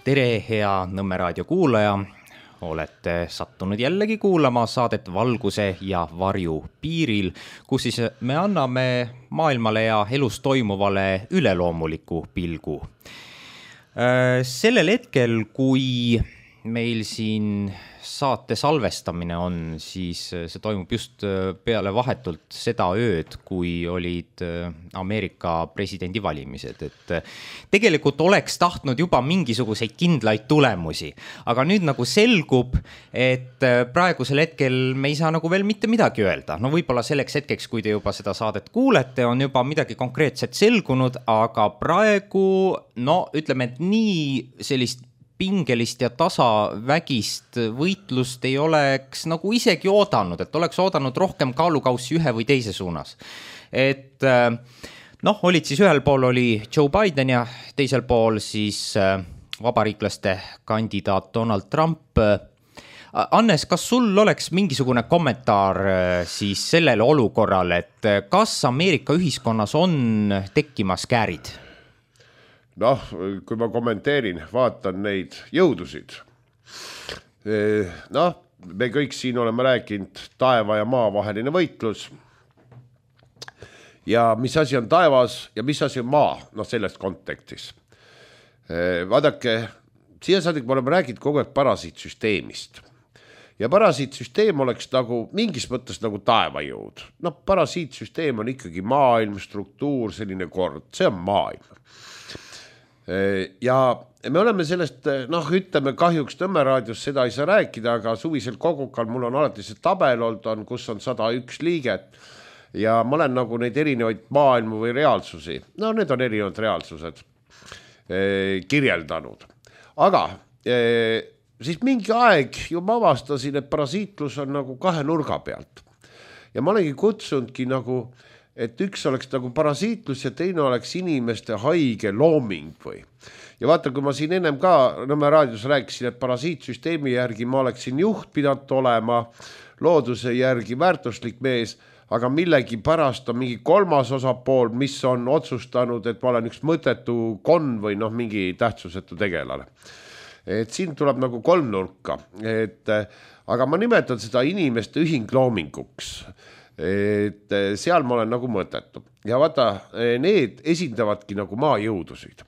Tere, hea Nõmme raadio kuulaja. Olete sattunud jällegi kuulama saadet Valguse ja varju piiril, kus siis me anname maailmale ja elus toimuvale üleloomuliku pilgu. Sellel hetkel, kui meil siin saate salvestamine on, siis see toimub just peale vahetult seda ööd, kui olid Ameerika presidendivalimised. Et tegelikult oleks tahtnud juba mingisuguseid kindlaid tulemusi, aga nüüd nagu selgub, et praegusel hetkel me ei saa nagu veel mitte midagi öelda. No võib-olla selleks hetkeks, kui te juba seda saadet kuulete, on juba midagi konkreetset selgunud, aga praegu, ütleme, et nii sellist pingelist ja tasavägist võitlust ei oleks nagu isegi oodanud, et oleks oodanud rohkem kaalukaussi ühe või teise suunas. Et olid siis ühel pool oli Joe Biden ja teisel pool siis vabariiklaste kandidaat Donald Trump. Annes, kas sul oleks mingisugune kommentaar siis sellele olukorrale, et kas Ameerika ühiskonnas on tekkimas käärid? Kui ma kommenteerin, vaatan neid jõudusid. Me kõik siin oleme rääkinud taeva ja maa vaheline võitlus. Ja mis asi on taevas ja mis asi on maa, sellest kontekstis. Vaadake, siia saadik me oleme rääkinud kogu aeg parasiitsüsteemist. Ja parasiitsüsteem oleks nagu mingis mõttes nagu taevajõud. Parasiitsüsteem on ikkagi maailm, struktuur, selline kord, see on maailm. Ja me oleme sellest, ütleme kahjuks Nõmme raadios seda ei saa rääkida, aga suvisel kogukal mul on alati see tabel olnud, kus on 101 liiget ja ma olen nagu neid erinevaid maailmu või reaalsusi, need on erinevad reaalsused kirjeldanud. Aga siis mingi aeg ju ma avastasin, et parasiitlus on nagu kahe nurga pealt ja ma olengi kutsunudki nagu et üks oleks nagu parasiitlus ja teine oleks inimeste haige looming või. Ja vaata, kui ma siin ennem ka Nõmme raadios rääkisin, et parasiitsüsteemi järgi ma oleksin juht pidanud olema, looduse järgi väärtuslik mees, aga millegi pärast on mingi kolmas osapool, mis on otsustanud, et ma olen üks mõttetu konn või mingi tähtsusetu tegelane. Et siin tuleb nagu kolmnurka, aga ma nimetan seda inimeste ühingloominguks. Et seal ma olen nagu mõttetu. Ja vaata, need esindavadki nagu maajõudusid.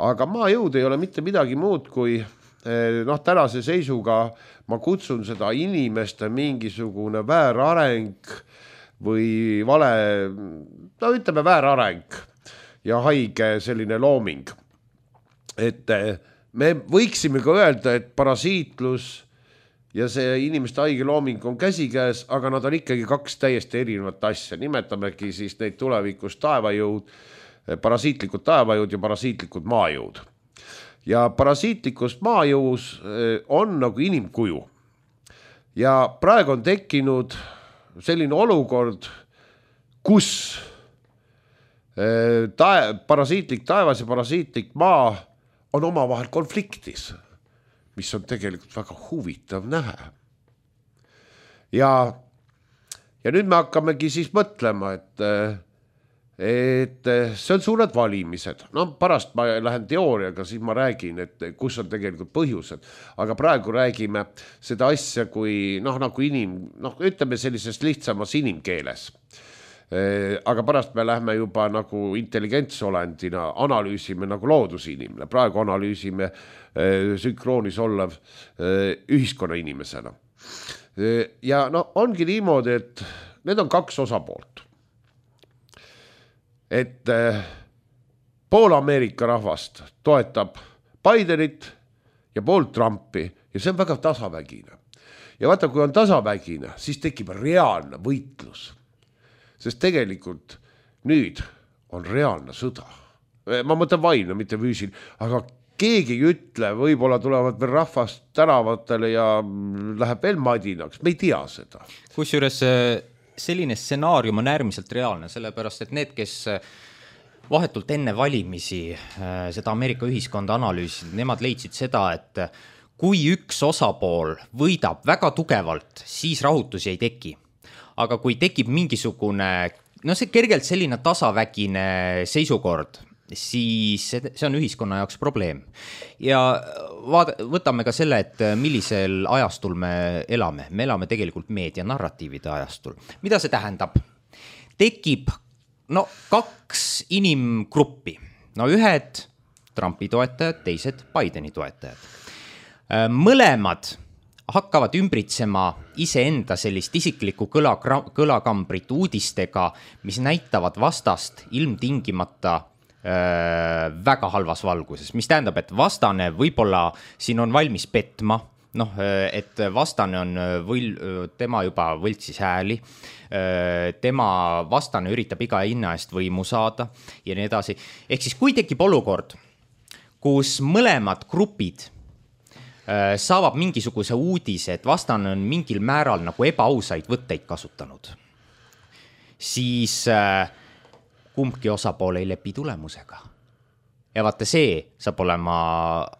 Aga maajõud ei ole mitte midagi muud kui tänase seisuga ma kutsun seda inimeste mingisugune väärareng või vale, ütleme väärareng ja haige selline looming. Et me võiksime ka öelda, et parasiitlus ja see inimeste haige looming on käsikäes, aga nad on ikkagi kaks täiesti erinevat asja. Nimetamegi siis neid tulevikus taevajõud, parasiitlikud taevajõud ja parasiitlikud maajõud. Ja parasiitlikus maajõus on nagu inimkuju. Ja praegu on tekkinud selline olukord, kus parasiitlik taevas ja parasiitlik maa on omavahel konfliktis, mis on tegelikult väga huvitav näha. Ja nüüd me hakkamegi siis mõtlema, et see on suured valimised. Pärast ma lähen teooriaga, siis ma räägin, et kus on tegelikult põhjused. Aga praegu räägime seda asja kui, nagu ütleme sellises lihtsamas inimkeeles. Aga pärast me lähme juba nagu intelligentsolendina, analüüsime nagu loodusinimene. Praegu analüüsime sünkroonis olev ühiskonna inimesena. Ja ongi niimoodi, et need on kaks osapoolt. Et pool Ameerika rahvast toetab Bidenit ja pool Trumpi ja see on väga tasavägine. Ja vaata, kui on tasavägine, siis tekib reaalne võitlus. Sest tegelikult nüüd on reaalne sõda. Ma mõtlen vaimne, mitte füüsil, aga keegi ei ütle, võib-olla tulevad veel rahvast tänavatele ja läheb veel madinaks. Me ei tea seda. Kusjuures selline stsenaarium on äärmiselt reaalne, sellepärast, et need, kes vahetult enne valimisi seda Ameerika ühiskonda analüüsid, nemad leidsid seda, et kui üks osapool võidab väga tugevalt, siis rahutusi ei teki. Aga kui tekib mingisugune, see kergelt selline tasavägine seisukord siis see on ühiskonna jaoks probleem. Ja võtame ka selle, et millisel ajastul me elame. Me elame tegelikult meedianarratiivide ajastul. Mida see tähendab? Tekib kaks inimgruppi. Ühed Trumpi toetajad, teised Bideni toetajad. Mõlemad hakkavad ümbritsema iseenda sellist isiklikku kõlakambrit uudistega, mis näitavad vastast ilmtingimata väga halvas valguses, mis tähendab, et vastane võib-olla siin on valmis petma, et vastane on tema juba võltsis hääli, tema vastane üritab iga hinna eest võimu saada ja nii edasi. Ehk siis kui tekib olukord, kus mõlemad grupid saavad mingisuguse uudise, et vastane on mingil määral nagu ebaausaid võtteid kasutanud, siis kumbki osapool ei lepi tulemusega. Ja vaata, see saab olema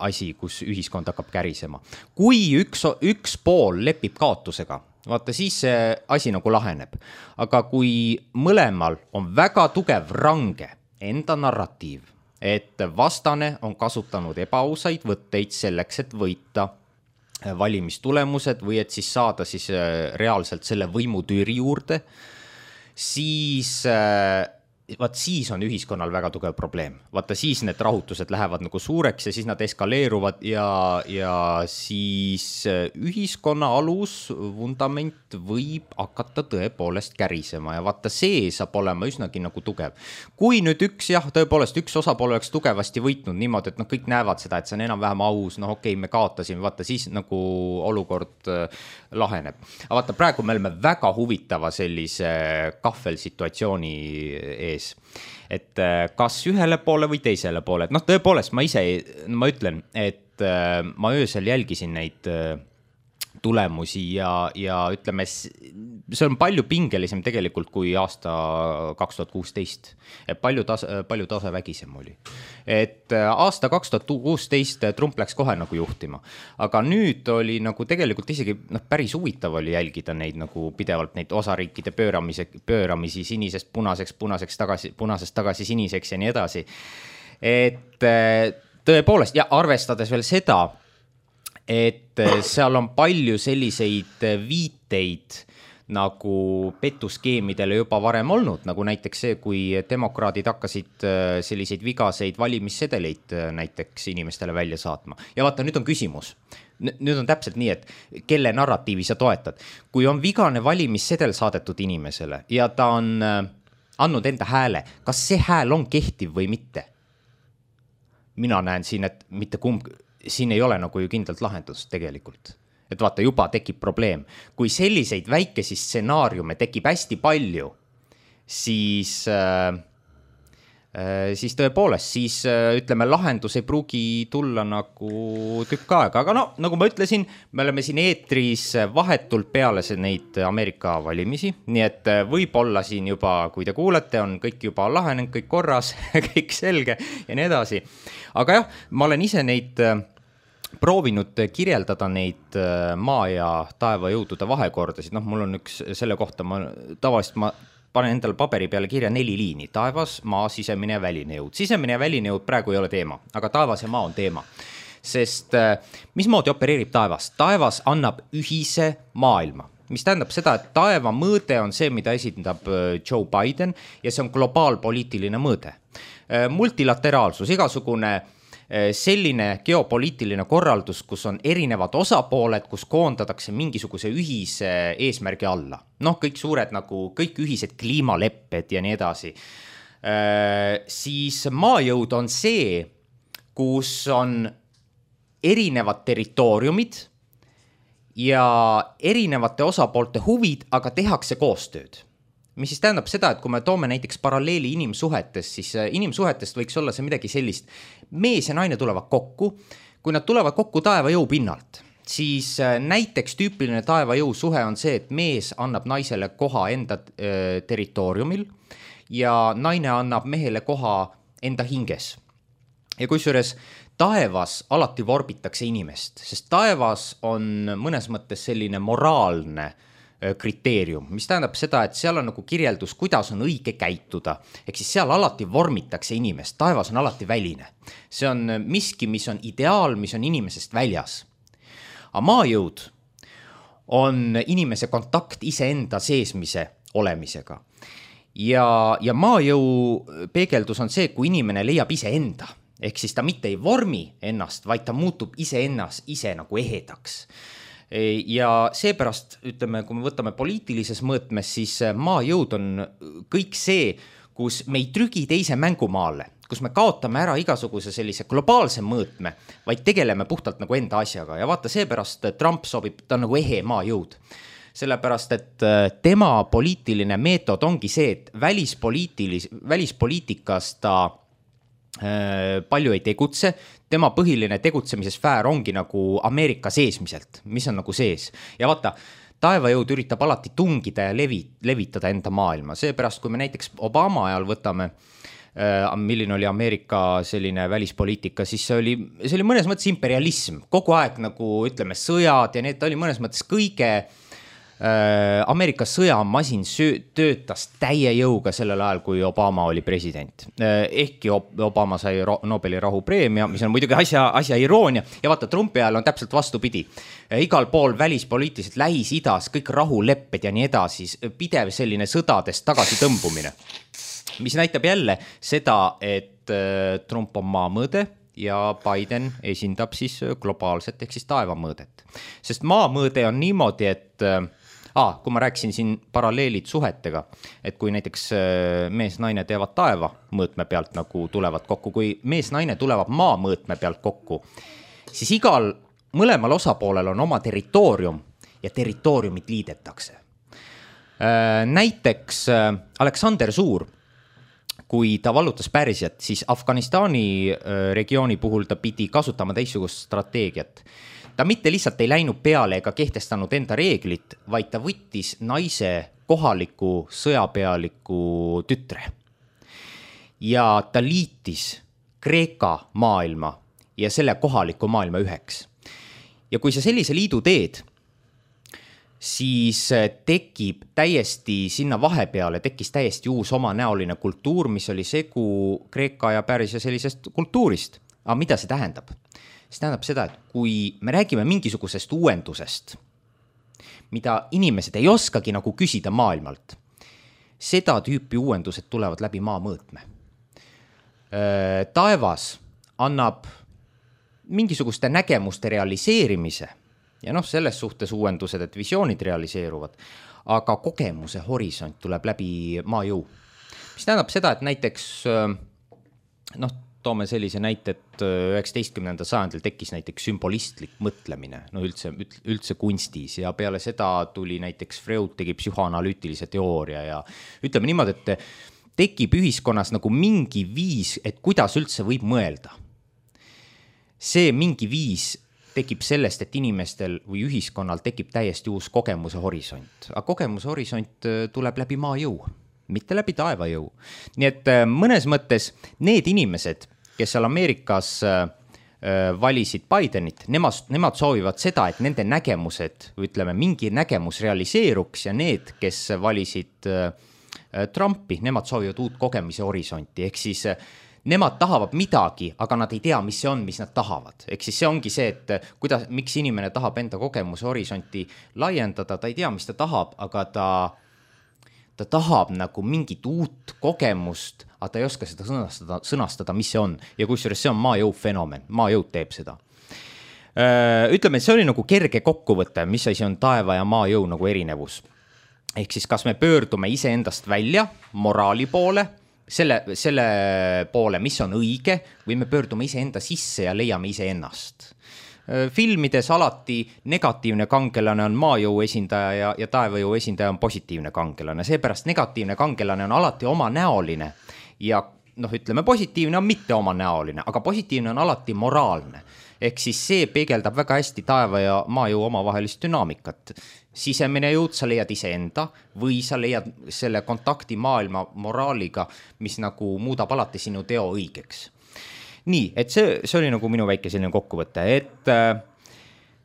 asi, kus ühiskond hakkab kärisema. Kui üks pool lepib kaotusega, vaata, siis see asi nagu laheneb. Aga kui mõlemal on väga tugev range enda narratiiv, et vastane on kasutanud ebaausaid võtteid selleks, et võita valimistulemused või et siis saada siis reaalselt selle võimutüüri juurde, siis siis on ühiskonnal väga tugev probleem. Vaata, siis need rahutused lähevad nagu suureks ja siis nad eskaleeruvad ja siis ühiskonna alus, vundament võib hakata tõepoolest kärisema ja vaata, see saab olema üsnagi nagu tugev. Kui nüüd tõepoolest üks osapool oleks tugevasti võitnud niimoodi, et kõik näevad seda, et see on enam-vähem aus, okei, me kaotasime, vaata, siis nagu olukord laheneb. Aga vaata, praegu me oleme väga huvitava sellise kahvelsituatsiooni ees. Et kas ühele poole või teisele poole. Tõepoolest, ma ütlen, et ma öösel jälgisin neid tulemusi ja ütleme, see on palju pingelisem tegelikult kui aasta 2016. Palju tasevägisem oli. Et aasta 2016 Trump läks kohe nagu juhtima. Aga nüüd oli nagu tegelikult isegi päris huvitav oli jälgida neid nagu pidevalt neid osariikide pööramisi sinisest punasest tagasi siniseks ja nii edasi. Et tõepoolest, ja arvestades veel seda, et seal on palju selliseid viiteid nagu petuskeemidele juba varem olnud, nagu näiteks see, kui demokraadid hakkasid selliseid vigaseid valimissedeleid näiteks inimestele välja saatma. Ja vaata, nüüd on küsimus. Nüüd on täpselt nii, et kelle narratiivi sa toetad. Kui on vigane valimissedel saadetud inimesele ja ta on andnud enda hääle, kas see hääl on kehtiv või mitte? Mina näen siin, et mitte siin ei ole nagu ju kindlalt lahendust tegelikult. Et vaata, juba tekib probleem. Kui selliseid väikesi stsenaariume tekib hästi palju, siis tõepoolest, siis ütleme, lahendus ei pruugi tulla nagu tükk aega. Aga nagu ma ütlesin, me oleme siin eetris vahetult peale neid Ameerika valimisi, nii et võib-olla siin juba, kui te kuulete, on kõik juba lahenenud, kõik korras, kõik selge ja nii edasi. Aga jah, ma olen ise neid proovinud kirjeldada neid maa ja taeva jõudude vahekordasid. Mul on üks selle kohta, tavaliselt ma panen endale paberi peale kirja 4 liini. Taevas, maa, sisemine ja väline jõud. Sisemine ja väline jõud praegu ei ole teema, aga taevas ja maa on teema. Sest mismoodi opereerib taevas? Taevas annab ühise maailma, mis tähendab seda, et taeva mõõde on see, mida esindab Joe Biden ja see on globaalpoliitiline mõõde. Multilateraalsus, igasugune selline geopoliitiline korraldus, kus on erinevad osapooled, kus koondatakse mingisuguse ühise eesmärgi alla. Kõik suured nagu, kõik ühised kliimalepped ja nii edasi. Siis maajõud on see, kus on erinevad territooriumid ja erinevate osapoolte huvid, aga tehakse koostööd. Mis siis tähendab seda, et kui me toome näiteks paralleeli inimsuhetest, siis inimsuhetest võiks olla see midagi sellist. Mees ja naine tulevad kokku. Kui nad tulevad kokku taevajõu pinnalt, siis näiteks tüüpiline taevajõu suhe on see, et mees annab naisele koha enda territooriumil ja naine annab mehele koha enda hinges. Ja kusjuures taevas alati vorbitakse inimest, sest taevas on mõnes mõttes selline moraalne kriteerium, mis tähendab seda, et seal on nagu kirjeldus, kuidas on õige käituda. Ehk siis seal alati vormitakse inimest, taevas on alati väline. See on miski, mis on ideaal, mis on inimesest väljas. Aga maajõud on inimese kontakt iseenda seesmise olemisega. Ja maajõu peegeldus on see, kui inimene leiab iseenda. Ehk siis ta mitte ei vormi ennast, vaid ta muutub ise nagu ehedaks. Ja seepärast, ütleme, kui me võtame poliitilises mõõtmes, siis maajõud on kõik see, kus me ei trügi teise mängumaale, kus me kaotame ära igasuguse sellise globaalse mõõtme, vaid tegeleme puhtalt nagu enda asjaga. Ja vaata, seepärast Trump sobib, ta on nagu ehe maajõud. Sellepärast, et tema poliitiline meetod ongi see, et välispoliitikas ta palju ei tegutse, tema põhiline tegutsemise sfäär ongi nagu Ameerika seesmiselt, mis on nagu sees. Ja vaata, taevajõud üritab alati tungida ja levitada enda maailma. Seepärast, kui me näiteks Obama ajal võtame, milline oli Ameerika selline välispoliitika, siis see oli mõnes mõttes imperialism. Kogu aeg nagu, ütleme, sõjad ja need oli mõnes mõttes kõige Ameerika sõjamasin töötas täie jõuga sellel ajal, kui Obama oli president. Ehkki Obama sai Nobeli rahupreemia, mis on muidugi asja iroonia. Ja vaata, Trumpi ajal on täpselt vastupidi. Igal pool välispoliitiliselt Lähis-Idas, kõik rahulepped ja nii edasi, pidev selline sõdadest tagasi tõmbumine. Mis näitab jälle seda, et Trump on maamõõde ja Biden esindab siis globaalset ehk siis taevamõõdet. Sest maamõõde on niimoodi, et kui ma rääkisin siin paralleelid suhetega, et kui näiteks mees-naine teevad taeva mõõtme pealt nagu tulevad kokku, kui mees-naine tulevad maa mõõtme pealt kokku, siis mõlemal osapoolel on oma territoorium ja territooriumid liidetakse. Näiteks Aleksander Suur, kui ta vallutas Pärsiat, siis Afganistani regiooni puhul ta pidi kasutama teistsugust strateegiat. Ta mitte lihtsalt ei läinud peale ega kehtestanud enda reeglit, vaid ta võttis naise kohaliku sõjapealiku tütre. Ja ta liitis Kreeka maailma ja selle kohaliku maailma üheks. Ja kui sa sellise liidu teed, siis tekib täiesti sinna vahepeale, tekkis täiesti uus omanäoline kultuur, mis oli segu Kreeka ja Pärsia sellisest kultuurist. Aga mida see tähendab? See tähendab seda, et kui me räägime mingisugusest uuendusest, mida inimesed ei oskagi nagu küsida maailmalt, seda tüüpi uuendused tulevad läbi maamõõtme. Taevas annab mingisuguste nägemuste realiseerimise ja selles suhtes uuendused, et visioonid realiseeruvad, aga kogemuse horisont tuleb läbi maajõu. Mis tähendab seda, et näiteks toome sellise näite, et 19. sajandil tekkis näiteks sümbolistlik mõtlemine, üldse kunstis ja peale seda tuli näiteks Freud tegi psühhoanalüütilise teooria ja ütleme niimoodi, et tekib ühiskonnas nagu mingi viis, et kuidas üldse võib mõelda. See mingi viis tekib sellest, et inimestel või ühiskonnal tekib täiesti uus kogemuse horisont, aga kogemuse horisont tuleb läbi maajõu, mitte läbi taevajõu. Nii et mõnes mõttes need inimesed, kes seal Ameerikas valisid Bidenit, nemad soovivad seda, et nende nägemused, ütleme, mingi nägemus realiseeruks ja need, kes valisid Trumpi, nemad soovivad uut kogemise horisonti, ehk siis nemad tahavad midagi, aga nad ei tea, mis see on, mis nad tahavad. Ehk siis see ongi see, et miks inimene tahab enda kogemuse horisonti laiendada, ta ei tea, mis ta tahab, aga ta tahab nagu mingit uut kogemust, aga ta ei oska seda sõnastada, mis see on. Ja kusjuures see on maajõu fenomen, maajõud teeb seda. Ütleme, et see oli nagu kerge kokkuvõte, mis asi on taeva ja maajõu nagu erinevus. Ehk siis kas me pöördume iseendast välja moraali poole, selle poole, mis on õige, või me pöördume iseenda sisse ja leiame iseennast. Filmides alati negatiivne kangelane on maajõu esindaja ja taevajõu esindaja on positiivne kangelane. Seepärast negatiivne kangelane on alati omanäoline ja ütleme, positiivne on mitte omanäoline, aga positiivne on alati moraalne. Ehk siis see peegeldab väga hästi taeva ja maajõu omavahelist dünaamikat. Sisemine jõud sa leiad iseenda või sa leiad selle kontakti maailma moraaliga, mis nagu muudab alati sinu teo õigeks. Nii, et see oli nagu minu väike selline kokkuvõte, et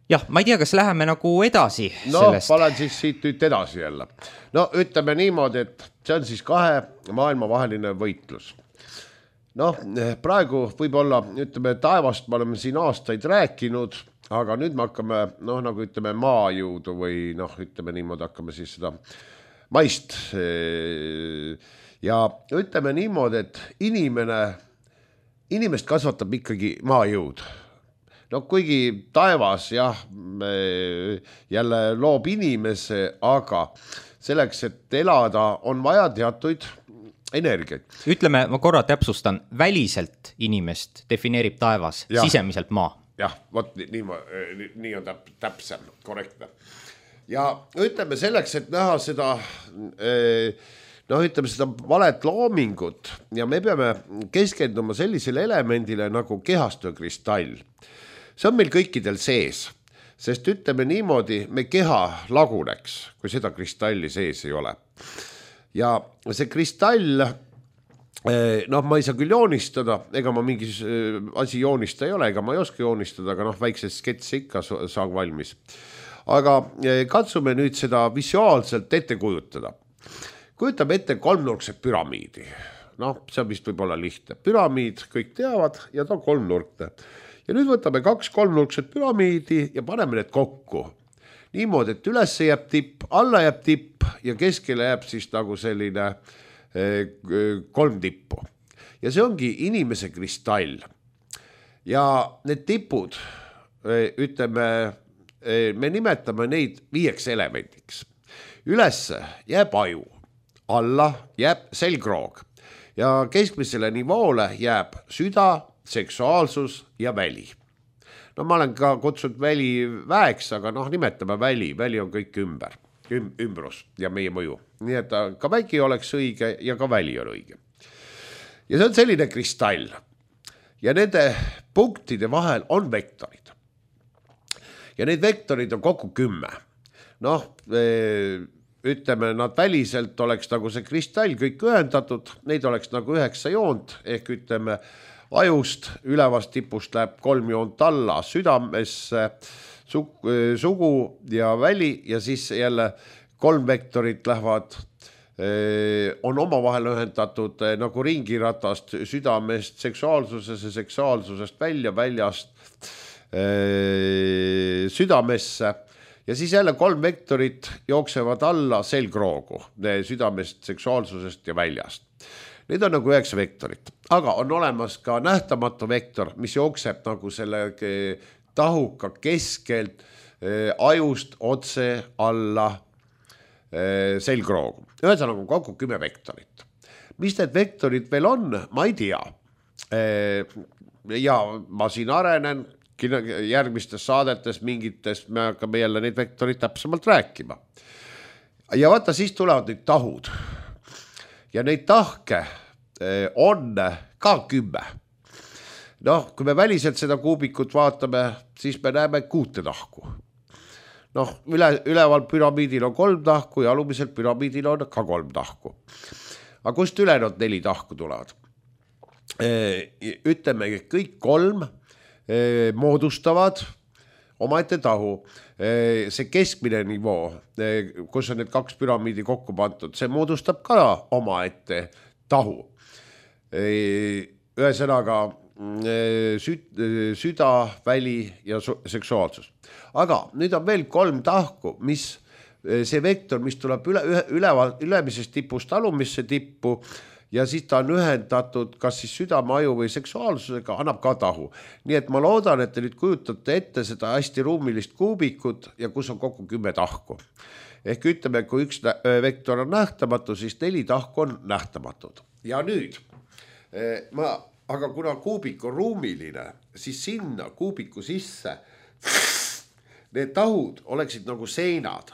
jah, ma ei tea, kas läheme nagu edasi sellest. Panen siis siit nüüd edasi jälle. No ütleme niimoodi, et see on siis kahe maailmavaheline võitlus. Praegu võib-olla, ütleme, taevast me oleme siin aastaid rääkinud, aga nüüd me hakkame, nagu ütleme, maajõudu või ütleme niimoodi, hakkame siis seda maist. Ja ütleme niimoodi, et inimest kasvatab ikkagi maajõud. Kuigi taevas jälle loob inimese, aga selleks, et elada, on vaja teatuid energiaid. Ütleme, ma korra täpsustan, väliselt inimest defineerib taevas, sisemiselt maa. Jah, vot nii on täpsem, korrektne. Ja ütleme selleks, et näha seda, ütleme seda valet loomingut ja me peame keskenduma sellisele elemendile nagu kehastöökristall. See on meil kõikidel sees, sest ütleme niimoodi, me keha laguneks, kui seda kristalli sees ei ole. Ja see kristall, ma ei saa küll joonistada, ega ma mingi asi joonista ei ole, ega ma ei oska joonistada, aga väikse sketsi ikka saab valmis. Aga katsume nüüd seda visuaalselt ette kujutada. Kujutame ette kolmnurkset püramiidi. See on vist võib-olla lihtne. Püramiid kõik teavad ja ta on kolmnurkne. Ja nüüd võtame 2 kolmnurkset püramiidi ja paneme need kokku. Niimoodi, et üles jääb tipp, alla jääb tipp ja keskele jääb siis nagu selline 3 tippu. Ja see ongi inimese kristall. Ja need tipud, ütleme, me nimetame neid 5 elemendiks. Ülesse jääb aju, alla jääb selgroog ja keskmisele nivoole jääb süda, seksuaalsus ja väli. Ma olen ka kutsunud väli väeks, aga nimetame väli. Väli on kõik ümbrus ja meie mõju. Nii et ka vägi oleks õige ja ka väli on õige. Ja see on selline kristall. Ja nende punktide vahel on vektorid. Ja need vektorid on kokku 10. Ütleme, nad väliselt oleks nagu see kristall kõik ühendatud. Neid oleks nagu 9 joont ehk ütleme, ajust ülevast tipust läheb 3 joont alla südamesse, sugu ja väli ja siis jälle 3 vektorit lähevad, on omavahel ühendatud nagu ringiratast südamest seksuaalsusesse, seksuaalsusest väljast südamesse ja siis jälle 3 vektorit jooksevad alla selgroogu südamest, seksuaalsusest ja väljast. Need on nagu 9 vektorit, aga on olemas ka nähtamatu vektor, mis jookseb nagu selle tahuka keskelt ajust otse alla selgroogu. Ühesõnaga kokku 10 vektorit. Mis need vektorid veel on, ma ei tea. Ja ma siin arenen järgmistes saadetes mingites, me hakkame jälle neid vektorid täpsemalt rääkima. Ja vaata, siis tulevad nüüd tahud. Ja neid tahke on ka 10. Kui me väliselt seda kuubikut vaatame, siis me näeme 6 tahku. Üleval püramiidil on 3 tahku ja alumiselt püramiidil on ka 3 tahku. Aga kust ülejäänud 4 tahku tulevad? Ütleme, kõik 3 moodustavad omaette tahu. See keskmine nivoo, kus on need 2 püramiidi kokku pandud, see moodustab ka omaette tahu. Ühesõnaga süda, väli ja seksuaalsus. Aga nüüd on veel 3 tahku, mis see vektor, mis tuleb ülemisest tipust alumisse tippu ja siis ta on ühendatud kas siis südame, aju või seksuaalsusega, annab ka tahu. Nii et ma loodan, et te nüüd kujutate ette seda hästi ruumilist kuubikut ja kus on kokku 10 tahku. Ehk ütleme, kui üks vektor on nähtamatu, siis 4 tahku on nähtamatud. Ja nüüd, aga kuna kuubik on ruumiline, siis sinna kuubiku sisse need tahud oleksid nagu seinad.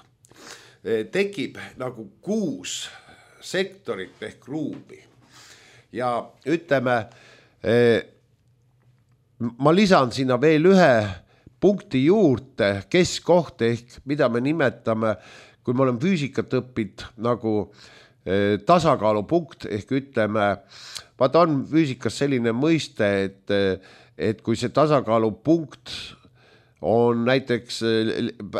Tekib nagu 6 sektorit ehk ruumi. Ja ütleme, ma lisan sinna veel 1 punkti juurde, keskkoht ehk mida me nimetame, kui me oleme füüsikat õppinud nagu tasakaalupunkt ehk ütleme, vaata on füüsikas selline mõiste, et kui see tasakaalupunkt on näiteks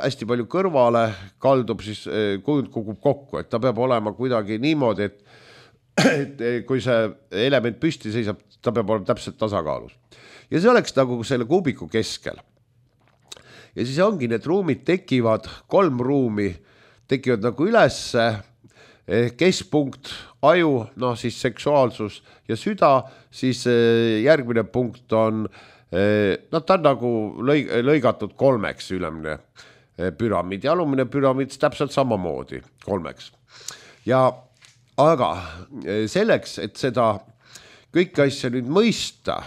hästi palju kõrvale, kaldub siis, kujund kukub kokku, et ta peab olema kuidagi niimoodi, et kui see element püsti seisab, ta peab olema täpselt tasakaalus. Ja see oleks nagu selle kuubiku keskel. Ja siis ongi need ruumid tekivad, 3 ruumi tekivad nagu ülesse, keskpunkt, aju, siis seksuaalsus ja süda, siis järgmine punkt on, ta on nagu lõigatud 3 ülemine püramiid ja alumine püramiid täpselt samamoodi 3. Aga selleks, et seda kõiki asja nüüd mõista,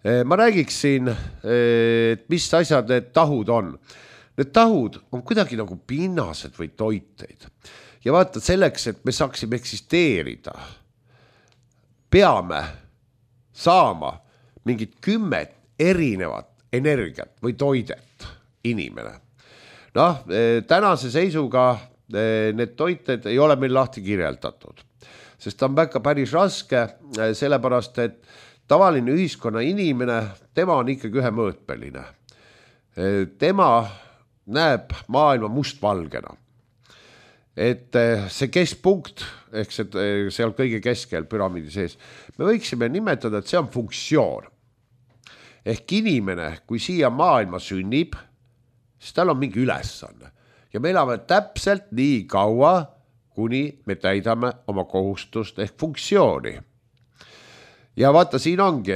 ma räägiksin, et mis asjad need tahud on. Need tahud on kuidagi nagu pinnased või toiteid. Ja vaata, selleks, et me saaksime eksisteerida, peame saama mingid 10 erinevat energiat või toidet inimene. Tänase seisuga need toited ei ole meil lahti kirjeldatud, sest ta on väga päris raske, sellepärast, et tavaline ühiskonna inimene, tema on ikkagi ühemõõtmeline. Tema näeb maailma mustvalgena. Et see keskpunkt, ehk seal kõige keskel püramiidi sees, me võiksime nimetada, et see on funktsioon. Ehk inimene, kui siia maailma sünnib, siis tal on mingi ülesanne. Ja me elame täpselt nii kaua, kuni me täidame oma kohustust ehk funktsiooni. Ja vaata, siin ongi,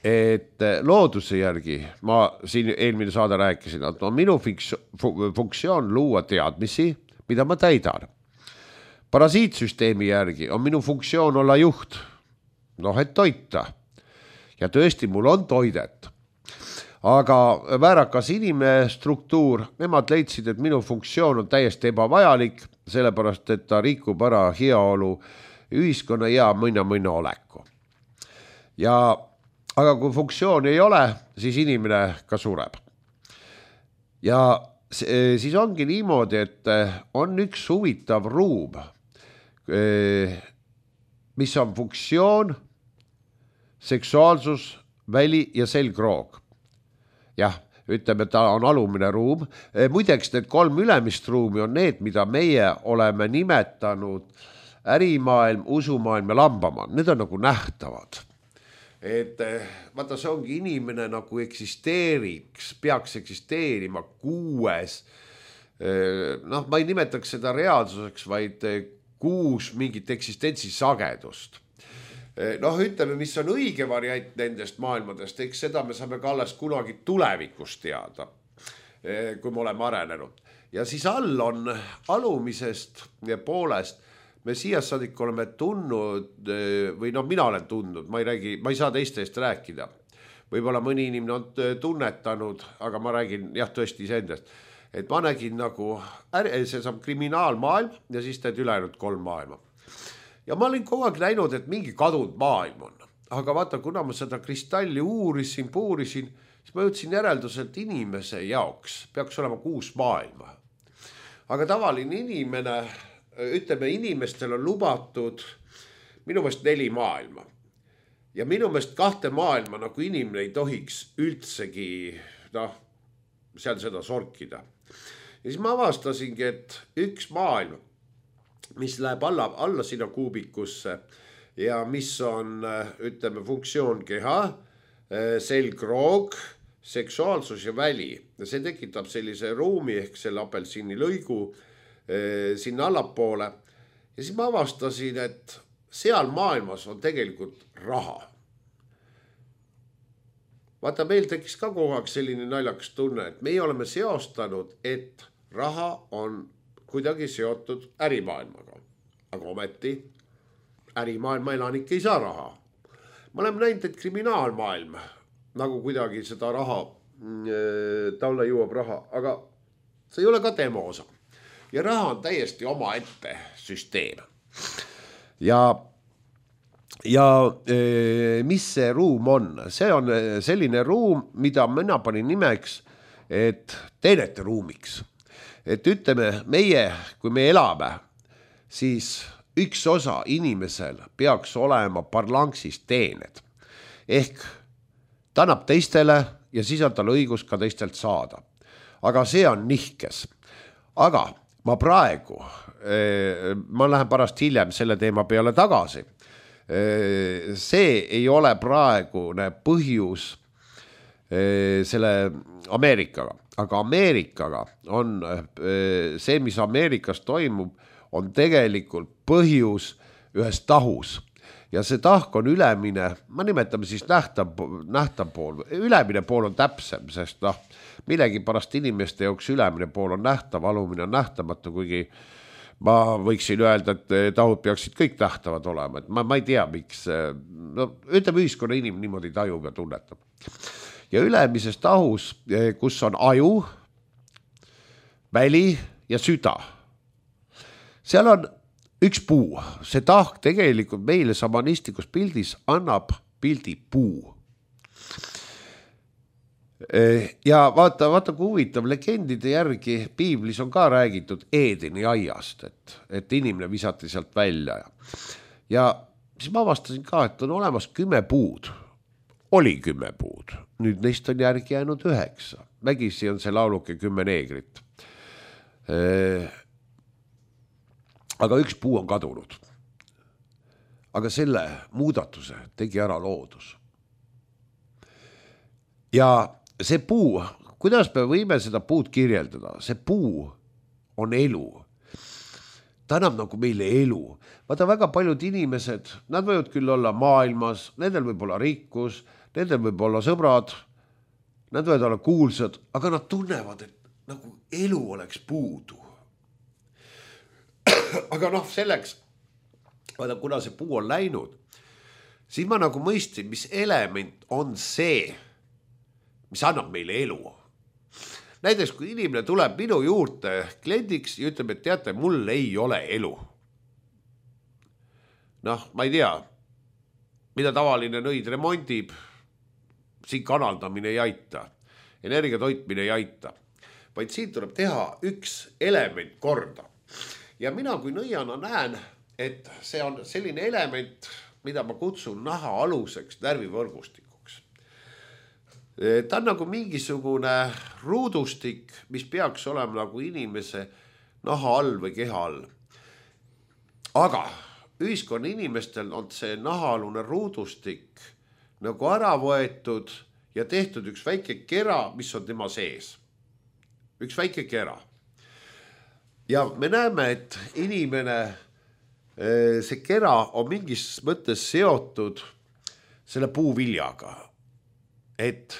et looduse järgi, ma siin eelmine saade rääkisin, et on minu funktsioon luua teadmisi, mida ma täidan. Parasiitsüsteemi järgi on minu funktsioon olla juht, et toita. Ja tõesti, mul on toidet. Aga väärakas inimene struktuur, nemad leidsid, et minu funktsioon on täiesti ebavajalik, sellepärast, et ta rikub ära heaolu ühiskonna ja mõna oleku. Aga kui funktsiooni ei ole, siis inimene ka sureb. Ja siis ongi niimoodi, et on üks huvitav ruum, mis on funktsioon, seksuaalsus, väli ja selgroog. Jah, ütleme, ta on alumine ruum. Muideks need 3 ülemist ruumi on need, mida meie oleme nimetanud ärimaailm, usumaailm ja lambamaailm. Need on nagu nähtavad. Et vaata, see ongi inimene nagu eksisteeriks, peaks eksisteerima 6, ma ei nimetaks seda reaalsuseks, vaid 6 mingit eksistentsi sagedust. Ütleme, mis on õige variant nendest maailmadest, eks seda me saame ka alles kunagi tulevikus teada, kui me oleme arenenud. Ja siis all on alumisest ja poolest, me siia saadik oleme tundnud, või mina olen tundnud, ma ei saa teiste eest rääkida. Võib-olla mõni inimene on tunnetanud, aga ma räägin tõesti iseendast. Et ma nägin nagu, see saab kriminaalmaailm ja siis teed ülejäänud 3 maailma. Ja ma olin kogu aeg näinud, et mingi kadunud maailm on. Aga vaata, kuna ma seda kristalli puurisin, siis ma jõudsin järelduselt inimese jaoks peaks olema 6 maailma. Aga tavaline inimene, ütleme, inimestel on lubatud minu meelest 4 maailma. Ja minu meelest 2 maailma nagu inimene ei tohiks üldsegi seal seda sorkida. Ja siis ma avastasingi, et üks maailm, mis läheb alla sinna kuubikusse ja mis on, ütleme, funktsioon keha, selgroog, seksuaalsus ja väli. Ja see tekitab sellise ruumi ehk selle apelsini lõigu sinna allapoole. Ja siis ma avastasin, et seal maailmas on tegelikult raha. Vaata, meil tekkis ka kogu aeg selline naljakas tunne, et meie oleme seostanud, et raha on kuidagi seotud ärimaailmaga. Aga ometi ärimaailma elanik ei saa raha. Ma oleme näinud, et kriminaalmaailm nagu kuidagi seda raha, talle jõuab raha, aga see ei ole ka tema osa. Ja raha on täiesti oma ette süsteem. Ja mis see ruum on? See on selline ruum, mida mina panin nimeks, et teenete ruumiks. Et ütleme, kui me elame, siis üks osa inimesel peaks olema parlanksis teened. Ehk ta annab teistele ja siis on tal õigus ka teistelt saada. Aga see on nihkes. Aga ma praegu, ma lähen pärast hiljem selle teema peale tagasi. See ei ole praegune põhjus selle Ameerikaga, aga Ameerikaga on see, mis Ameerikas toimub, on tegelikult põhjus ühes tahus ja see tahk on ülemine, ma nimetame siis nähtav pool, ülemine pool on täpsem, sest millegi pärast inimeste jooks ülemine pool on nähtav, alumine on nähtamatu, kuigi ma võiksin öelda, et tahud peaksid kõik nähtavad olema, et ma ei tea, miks, ütleme ühiskonna inimene niimoodi tajub ja tunnetab. Ja ülemises tahus, kus on aju, väli ja süda. Seal on üks puu. See tahk tegelikult meile samanistlikus pildis annab pildi puu. Ja vaata kui huvitav, legendide järgi piiblis on ka räägitud Eedeni aiast, et inimene visati sealt välja. Ja siis ma avastasin ka, et on olemas 10 puud. Oli 10 puud. Nüüd neist on järgi jäänud 9. Vägisi on see lauluke 10 neegrit. Aga üks puu on kadunud. Aga selle muudatuse tegi ära loodus. Ja see puu, kuidas me võime seda puud kirjeldada? See puu on elu. Ta annab nagu meile elu. Vaata väga paljud inimesed, nad võivad küll olla maailmas, nendel võib olla rikkus, nendel võib olla sõbrad, nad võivad olla kuulsad, aga nad tunnevad, et nagu elu oleks puudu. Aga selleks, kuna see puu on läinud, siis ma nagu mõistin, mis element on see, mis annab meile elu. Näiteks, kui inimene tuleb minu juurde kliendiks ja ütleb, et teate, mul ei ole elu. Ma ei tea, mida tavaline nõid remondib, siin kanaldamine ei aita, energia toitmine ei aita, vaid siin tuleb teha üks element korda. Ja mina kui nõiana näen, et see on selline element, mida ma kutsun naha aluseks närvivõrgustikuks. Ta on nagu mingisugune ruudustik, mis peaks olema nagu inimese naha all või keha all. Aga ühiskonna inimestel on see nahaalune ruudustik nagu ära võetud ja tehtud üks väike kera, mis on tema sees. Üks väike kera. Ja me näeme, et inimene, see kera on mingis mõttes seotud selle puuviljaga. Et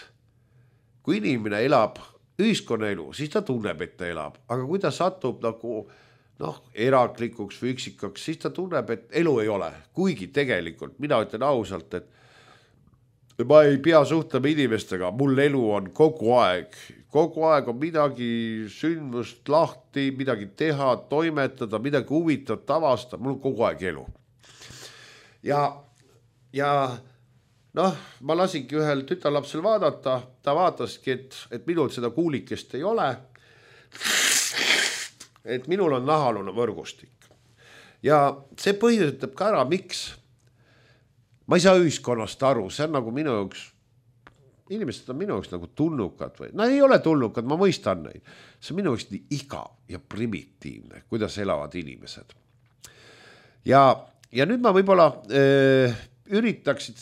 kui inimene elab ühiskonnaelu, siis ta tunneb, et ta elab. Aga kui ta satub nagu eraklikuks või üksikaks, siis ta tunneb, et elu ei ole. Kuigi tegelikult, mina ütlen ausalt, et ma ei pea suhtlema inimestega, mul elu on kogu aeg on midagi sündmust lahti, midagi teha, toimetada, midagi huvitavat avastada, mul on kogu aeg elu. Ja ma lasingi ühel tütarlapsel vaadata, ta vaataski, et minul seda kuulikest ei ole, et minul on nahaalune võrgustik. Ja see põhjustab ka ära, miks ma ei saa ühiskonnast aru, see on nagu minu jaoks, inimesed on minu jaoks nagu tulnukad või, nad ei ole tulnukad, ma mõistan neid. See on minu jaoks nii igav ja primitiivne, kuidas elavad inimesed. Ja nüüd ma võib-olla üritaksid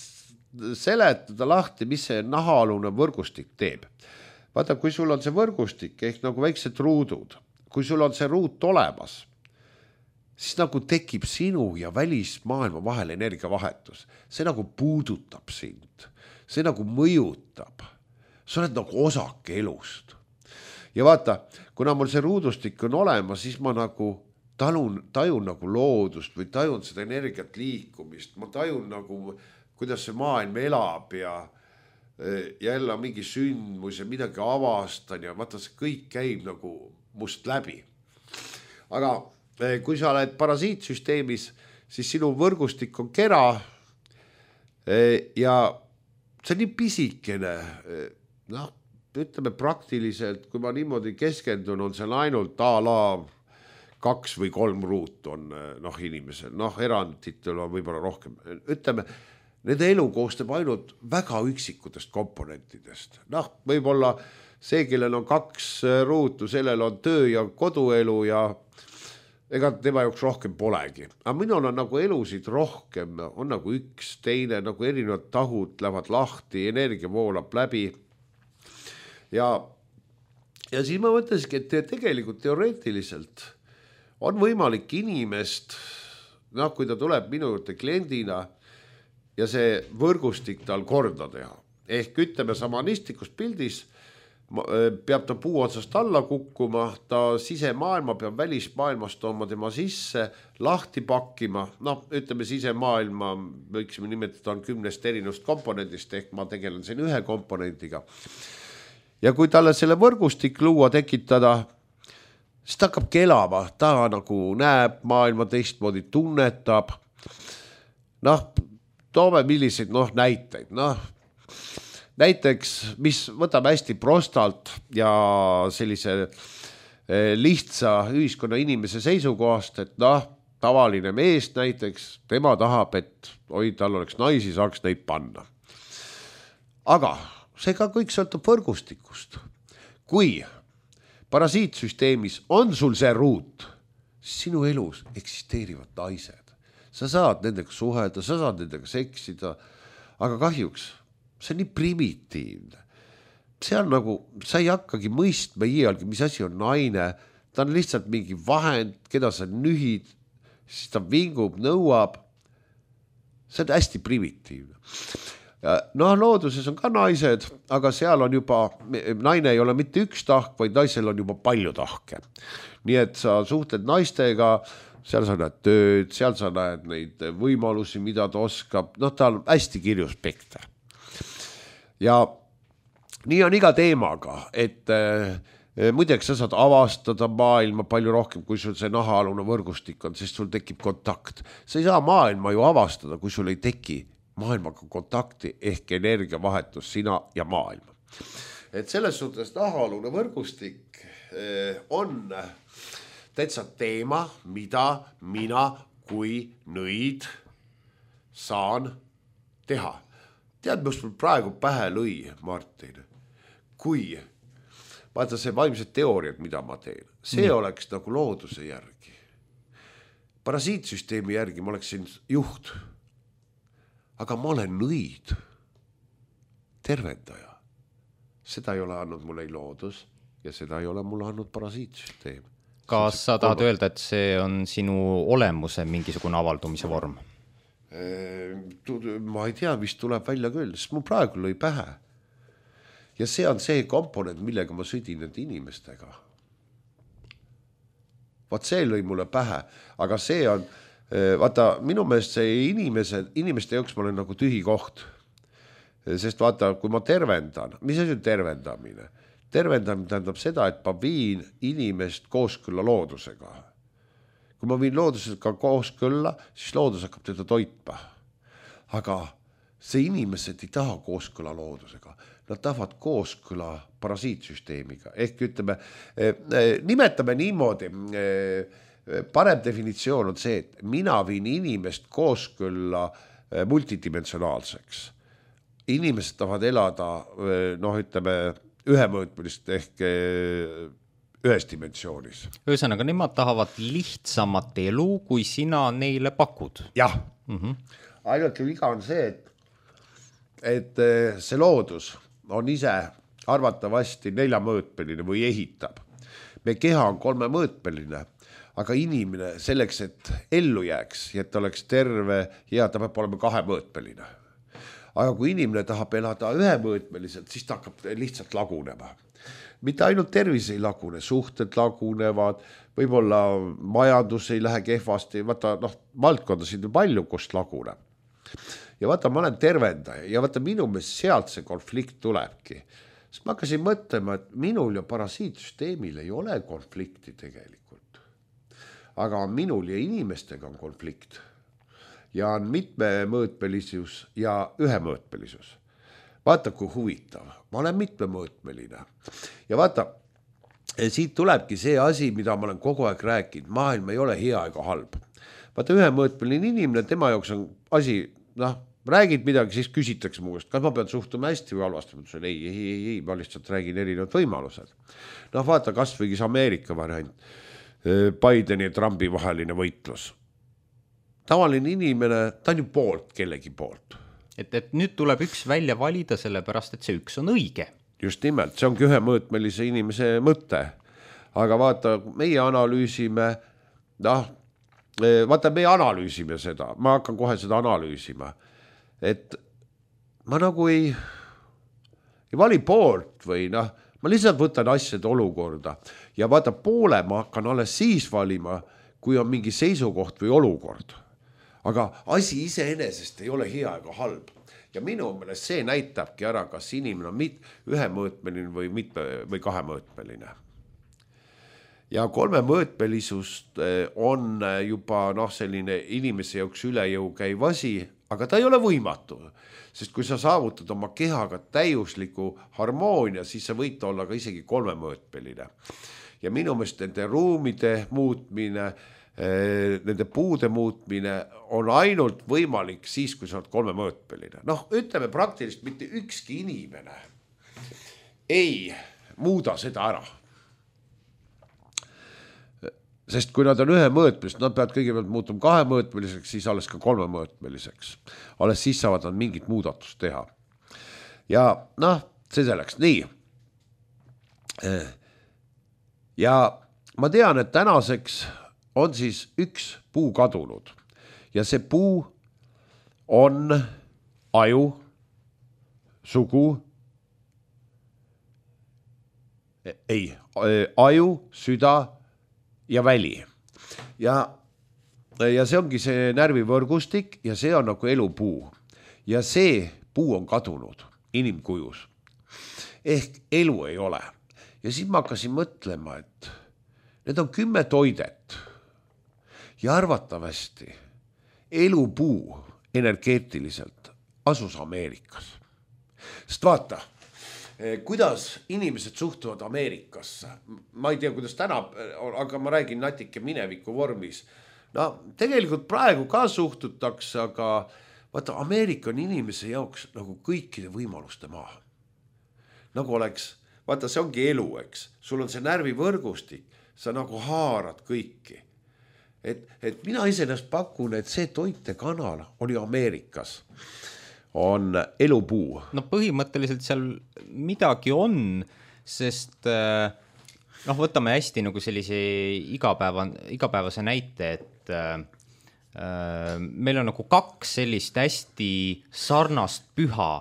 seletada lahti, mis see nahaalune võrgustik teeb. Vaata, kui sul on see võrgustik ehk nagu väiksed ruudud, kui sul on see ruut olemas, siis nagu tekib sinu ja välismaailma vahel energiavahetus. See nagu puudutab sind. See nagu mõjutab. Sa oled nagu osake elust. Ja vaata, kuna mul see ruudustik on olemas, siis ma nagu tajun nagu loodust või tajun seda energiat liikumist. Ma tajun nagu, kuidas see maailm elab ja jälle mingi sündmus ja midagi avastan ja vaata, see kõik käib nagu must läbi. Aga kui sa oled parasiitsüsteemis, siis sinu võrgustik on kera ja see on nii pisikene, ütleme praktiliselt, kui ma niimoodi keskendun, on seal ainult a la 2 või 3 ruut on inimesel, eranditel on võib-olla rohkem. Ütleme, nende elu koostab ainult väga üksikutest komponentidest. Noh, võib-olla see, kellel on 2 ruutu, sellel on töö ja koduelu ja ega tema jaoks rohkem polegi. Aga minul on nagu elusid rohkem, on nagu üks, teine, nagu erinevad tahud lähevad lahti, energia voolab läbi. Ja siis ma mõtlesingi, et tegelikult teoreetiliselt on võimalik inimest, noh, kui ta tuleb minu juurde kliendina ja see võrgustik tal korda teha. Ehk ütleme samanistlikus pildis peab ta puu otsast alla kukkuma, ta sisemaailma peab välismaailmast tooma tema sisse, lahti pakkima, noh, ütleme sisemaailma, võiksime nimetada on 10 erinevast komponendist, ehk ma tegelen siin ühe komponendiga. Ja kui talle selle võrgustik luua, tekitada, siis ta hakkab kelama, ta nagu näeb maailma teistmoodi, tunnetab. Noh, toome milliseid näiteid. Näiteks, mis võtame hästi prostalt ja sellise lihtsa ühiskonna inimese seisukohast, et tavaline mees näiteks, tema tahab, et tal oleks naisi, saaks neid panna. Aga see ka kõik sõltub võrgustikust. Kui parasiitsüsteemis on sul see ruut, siis sinu elus eksisteerivad naised. Sa saad nendega suhelda, sa saad nendega seksida, aga kahjuks see on nii primitiivne. See on nagu, sa ei hakkagi mõistma iialgi, mis asi on naine, ta on lihtsalt mingi vahend, keda sa nühid, siis ta vingub, nõuab. See on hästi primitiivne. No looduses on ka naised, aga seal on juba, naine ei ole mitte üks tahk, vaid naisel on juba palju tahke. Nii et sa suhtled naistega, seal sa näed tööd, seal sa näed neid võimalusi, mida ta oskab, ta on hästi kirju spekter. Ja nii on iga teemaga, et muideks sa saad avastada maailma palju rohkem, kui sul see nahaalune võrgustik on, sest sul tekib kontakt. Sa ei saa maailma ju avastada, kui sul ei teki maailmaga kontakti ehk energiavahetus sina ja maailma. Et selles suhtes nahaalune võrgustik on täitsa teema, mida mina kui nõid saan teha. Tead, mis mul praegu pähe lõi, Martin? Kui, vaata see vaimsed teooriad, mida ma teen, see oleks nagu looduse järgi. Parasiitsüsteemi järgi ma oleksin juht. Aga ma olen nõid, tervendaja. Seda ei ole andnud mulle ei loodus ja seda ei ole mulle andnud parasiitsüsteem. Kas sa tahad öelda, et see on sinu olemuse mingisugune avaldumise vorm? Ma ei tea, mis tuleb välja küll, sest mul praegu lõi pähe. Ja see on see komponent, millega ma sõdin nende inimestega. Vaat see lõi mulle pähe, aga see on... Vaata, minu meelest see inimeste jaoks ma olen nagu tühi koht. Sest vaata, kui ma tervendan, mis asi on tervendamine? Tervendamine tähendab seda, et ma viin inimest kooskõlla loodusega. Kui ma viin loodusega kooskõlla, siis loodus hakkab teda toitma. Aga see inimesed ei taha kooskõlla loodusega. Nad tahavad kooskõlla parasiitsüsteemiga. Ehk ütleme, nimetame niimoodi... Parem definitsioon on see, et mina viin inimest kooskõlla multidimensionaalseks. Inimesed tahavad elada, ütleme, ühemõõtmelist ehk ühes dimensioonis. Ühesõnaga, nemad tahavad lihtsamat elu, kui sina neile pakud. Jah, ainult viga on see, et see loodus on ise arvatavasti 4-mõõtmeline või ehitab. Me keha on 3-mõõtmeline. Aga inimene selleks, et ellu jääks ja et ta oleks terve ja ta peab olema 2-mõõtmeline. Aga kui inimene tahab elada 1-mõõtmeliselt, siis ta hakkab lihtsalt lagunema. Mitte ainult tervis ei lagune, suhted lagunevad, võib-olla majandus ei lähe kehvasti, vaata, valdkonda siin on palju, kust laguneb. Ja vaata, ma olen tervendaja ja vaata, minu meelest sealt see konflikt tulebki. Sest ma hakkasin mõtlema, et minul ja parasiitsüsteemil ei ole konflikti tegelikult. Aga minul ja inimestega on konflikt ja on mitmemõõtmelisus ja 1-mõõtmelisus. Vaata, kui huvitav. Ma olen mitmemõõtmeline. Ja vaata, siit tulebki see asi, mida ma olen kogu aeg rääkinud. Maailm ei ole hea ega halb. Vaata, 1-mõõtmeline inimene, tema jaoks on asi, räägid midagi, siis küsitakse mu käest, kas ma pean suhtuma hästi või halvasti, ma ütlesin ei, ma lihtsalt räägin erinevad võimalused. Noh, vaata kas võigis Ameerika variant, Bideni ja Trumpi vaheline võitlus. Tavaline inimene, ta on ju poolt kellegi poolt. Et nüüd tuleb üks välja valida sellepärast, et see üks on õige. Just nimelt, see ongi ühemõõtmelise inimese mõte. Aga vaata, meie analüüsime, meie analüüsime seda, ma hakkan kohe seda analüüsima, et ma nagu ei vali poolt või ma lihtsalt võtan asjade olukorda ja vaata poole ma hakkan alles siis valima, kui on mingi seisukoht või olukord. Aga asi iseenesest ei ole hea ega halb. Ja minu meelest see näitabki ära, kas inimene on ühemõõtmeline või kahemõõtmeline. Ja kolmemõõtmelisust on juba selline inimese jaoks üle jõu käiv asi, aga ta ei ole võimatu. Sest kui sa saavutad oma kehaga täiusliku harmoonia, siis sa võid olla ka isegi kolmemõõtmeline. Ja minu meelest nende ruumide muutmine, nende puude muutmine on ainult võimalik siis, kui sa oled kolmemõõtmeline. Ütleme praktiliselt mitte ükski inimene ei muuda seda ära. Sest kui nad on ühemõõtmelised, nad peavad kõigepealt muutuma kahemõõtmeliseks, siis alles ka kolmemõõtmeliseks. Alles siis saavad nad mingit muudatust teha. Ja see selleks. Nii. Ja ma tean, et tänaseks on siis üks puu kadunud. Ja see puu on aju, sugu, aju, süda ja väli. Ja see ongi see närvivõrgustik ja see on nagu elupuu. Ja see puu on kadunud inimkujus. Ehk elu ei ole. Ja siis ma hakkasin mõtlema, et need on 10 toidet. Ja arvatavasti elupuu energeetiliselt asus Ameerikas. Sest vaata, kuidas inimesed suhtuvad Ameerikasse. Ma ei tea, kuidas täna, aga ma räägin natuke mineviku vormis. Tegelikult praegu ka suhtutakse, aga vaata, Ameerika on inimese jaoks nagu kõikide võimaluste maa. Nagu oleks, vaata, see ongi elu, eks. Sul on see närvivõrgustik, sa nagu haarad kõiki. Et mina iseenesest pakun, et see toitekanal oli Ameerikas. On elupuu. Põhimõtteliselt seal midagi on, sest võtame hästi nagu sellise igapäevase näite, et meil on nagu 2 sellist hästi sarnast püha,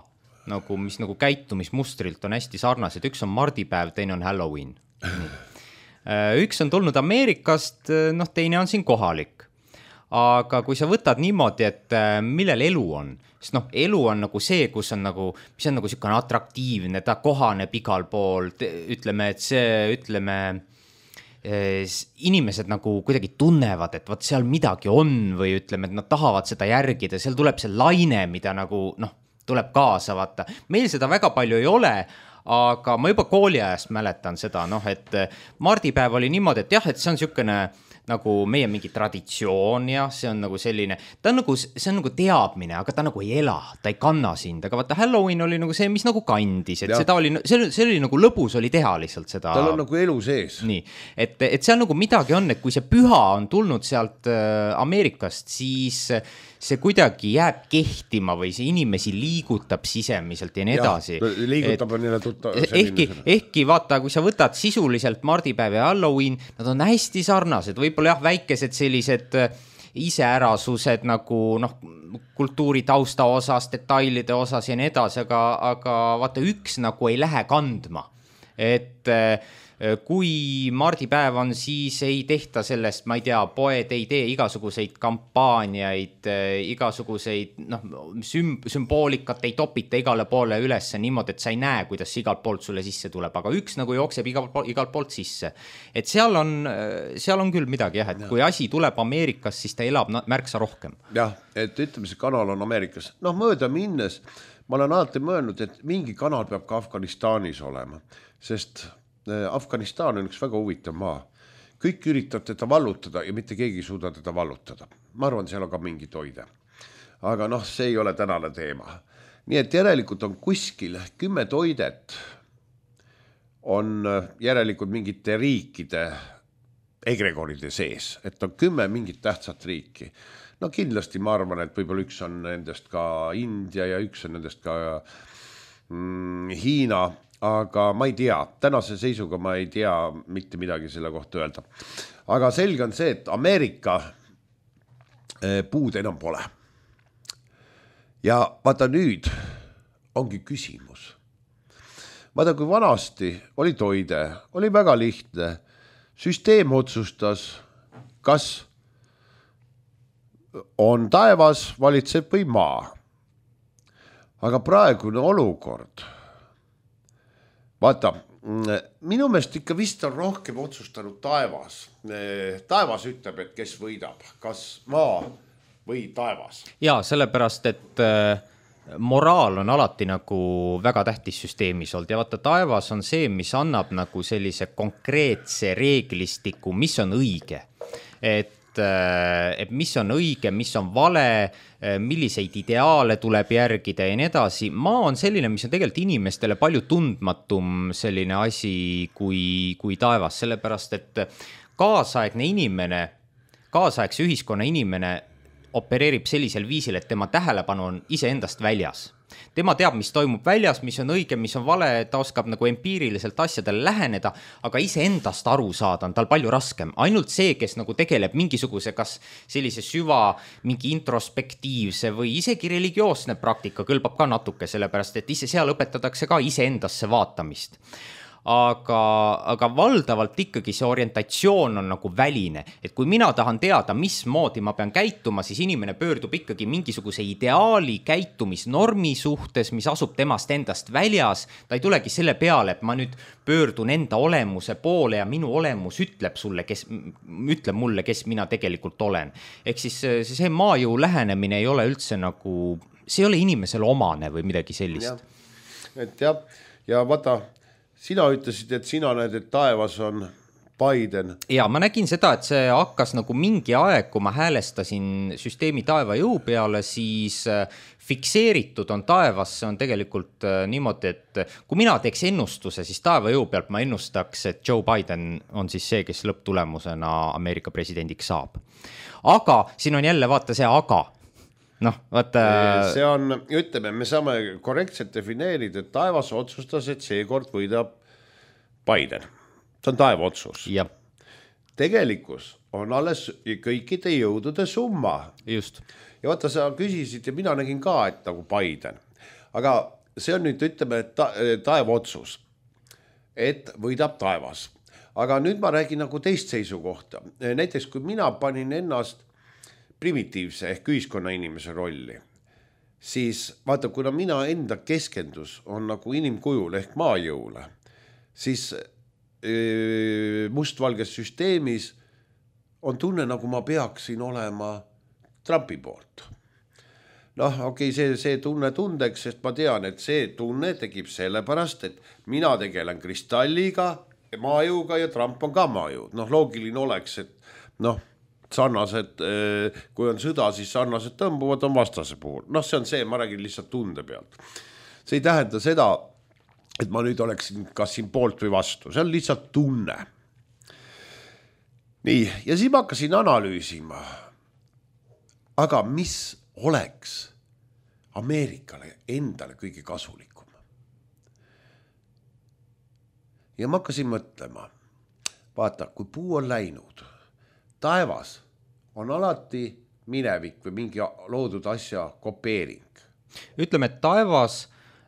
nagu, mis nagu käitumismustrilt on hästi sarnased. Üks on mardipäev, teine on Halloween. Üks on tulnud Ameerikast, teine on siin kohalik. Aga kui sa võtad niimoodi, et millel elu on, sest elu on nagu see, kus on nagu, mis on nagu selline atraktiivne, ta kohaneb igal pool, ütleme, et inimesed nagu kuidagi tunnevad, et võt seal midagi on või ütleme, et nad tahavad seda järgida, seal tuleb see laine, mida nagu tuleb kaasa vaata. Meil seda väga palju ei ole, aga ma juba kooliajast mäletan seda, et mardipäev oli niimoodi, et jah, et see on niisugune nagu meie mingi traditsioon ja see on nagu selline, see on nagu teadmine, aga ta nagu ei ela, ta ei kanna sind, aga vaata Halloween oli nagu see, mis nagu kandis, et seda oli, see oli nagu lõbus oli teha lihtsalt seda. Tal on nagu elu sees. Nii, et seal nagu midagi on, et kui see püha on tulnud sealt Ameerikast, siis see kuidagi jääb kehtima või see inimesi liigutab sisemiselt ja nii edasi. Liigutab on neile ehkki vaata, kui sa võtad sisuliselt mardipäev ja Halloween, nad on hästi sarnased, võib-olla jah, väikesed sellised iseärasused nagu kultuuri tausta osas, detailide osas ja nii edasi, aga vaata üks nagu ei lähe kandma, et kui mardipäev on, siis ei tehta sellest, ma ei tea, poed ei tee igasuguseid kampaaniaid, igasuguseid sümboolikat ei topita igale poole üles niimoodi, et sa ei näe, kuidas igalt poolt sulle sisse tuleb, aga üks nagu jookseb igalt poolt sisse. Et seal on küll midagi jah, et kui asi tuleb Ameerikas, siis ta elab märksa rohkem. Jah, et ütleme, see kanal on Ameerikas. Mööda minnes, ma olen alati mõelnud, et mingi kanal peab ka Afganistanis olema, sest Afganistan on üks väga huvitav maa. Kõik üritavad teda vallutada ja mitte keegi ei suuda teda vallutada. Ma arvan, seal on ka mingi toide. aga noh, see ei ole tänane teema. Nii et järelikult on kuskil 10 toidet on järelikult mingite riikide egregoride sees, et on 10 mingit tähtsat riiki. No kindlasti ma arvan, et võib-olla üks on nendest ka India ja üks on nendest ka Hiina, aga ma ei tea, tänase seisuga ma ei tea mitte midagi selle kohta öelda. Aga selge on see, et Ameerika puud enam pole. Ja vaata nüüd ongi küsimus. Vaata, kui vanasti oli toide, oli väga lihtne. Süsteem otsustas, kas on taevas, valitseb või maa. Aga praegune olukord, vaata, minu meelest ikka vist on rohkem otsustanud taevas. Taevas ütleb, et kes võidab, kas maa või taevas. Ja sellepärast, et moraal on alati nagu väga tähtis süsteemis olnud ja vaata, taevas on see, mis annab nagu sellise konkreetse reeglistiku, mis on õige. Et mis on õige, mis on vale, milliseid ideaale tuleb järgida ja nii edasi. Maa on selline, mis on tegelikult inimestele palju tundmatum selline asi kui taevas, sellepärast et kaasaegne inimene, kaasaegse ühiskonna inimene opereerib sellisel viisil, et tema tähelepanu on iseendast väljas. Tema teab, mis toimub väljas, mis on õige, mis on vale, ta oskab nagu empiiriliselt asjadele läheneda, aga iseendast aru saada on tal palju raskem. Ainult see, kes nagu tegeleb mingisuguse kas sellise mingi introspektiivse või isegi religioosne praktika kõlbab ka natuke, sellepärast et seal õpetatakse ka iseendasse vaatamist. Aga valdavalt ikkagi see orientatsioon on nagu väline, et kui mina tahan teada, mismoodi ma pean käituma, siis inimene pöördub ikkagi mingisuguse ideaali käitumisnormi suhtes, mis asub temast endast väljas. Ta ei tulegi selle peale, et ma nüüd pöördun enda olemuse poole ja minu olemus ütleb mulle, kes mina tegelikult olen. Ehk siis see maajõu lähenemine ei ole üldse nagu, see ei ole inimesele omane või midagi sellist. Ja vaata, sina ütlesid, et sina näed, et taevas on Biden. Ja ma nägin seda, et see hakkas nagu mingi aeg, kui ma häälestasin süsteemi taeva jõu peale, siis fikseeritud on taevas, see on tegelikult niimoodi, et kui mina teeks ennustuse, siis taeva jõu pealt ma ennustaks, et Joe Biden on siis see, kes lõpptulemusena Ameerika presidendiks saab. Aga siin on jälle vaata see aga. No, vaata... See on, ütleme, me saame korrektselt defineerida, et taevas otsustas, et seekord võidab Biden. See on taeva otsus. Ja. Tegelikkus on alles kõikide jõudude summa. Just. Ja vaata, sa küsisid ja mina nägin ka, et nagu Biden. Aga see on nüüd, ütleme, taeva otsus, et võidab taevas. Aga nüüd ma räägin nagu teist seisukohta. Näiteks, kui mina panin ennast primitiivse ehk ühiskonna inimese rolli, siis vaata, kuna mina enda keskendus on nagu inimkujul ehk maajõule, siis mustvalges süsteemis on tunne, nagu ma peaksin olema Trumpi poolt. Noh, okei, see tunne tundeks, sest ma tean, et see tunne tegib sellepärast, et mina tegelen kristalliga, maajõuga ja Trump on ka maajõud. Noh, loogiline oleks, et noh, sarnased, kui on sõda, siis sarnased tõmbuvad on vastase puhul. Noh, see on see, ma räägin lihtsalt tunde pealt. See ei tähenda seda, et ma nüüd oleksin kas siin poolt või vastu. See on lihtsalt tunne. Nii, ja siis ma hakkasin analüüsima. Aga mis oleks Ameerikale endale kõige kasulikum? Ja ma hakkasin mõtlema. Vaata, kui puu on läinud, taevas on alati minevik või mingi loodud asja kopeering. Ütleme, et taevas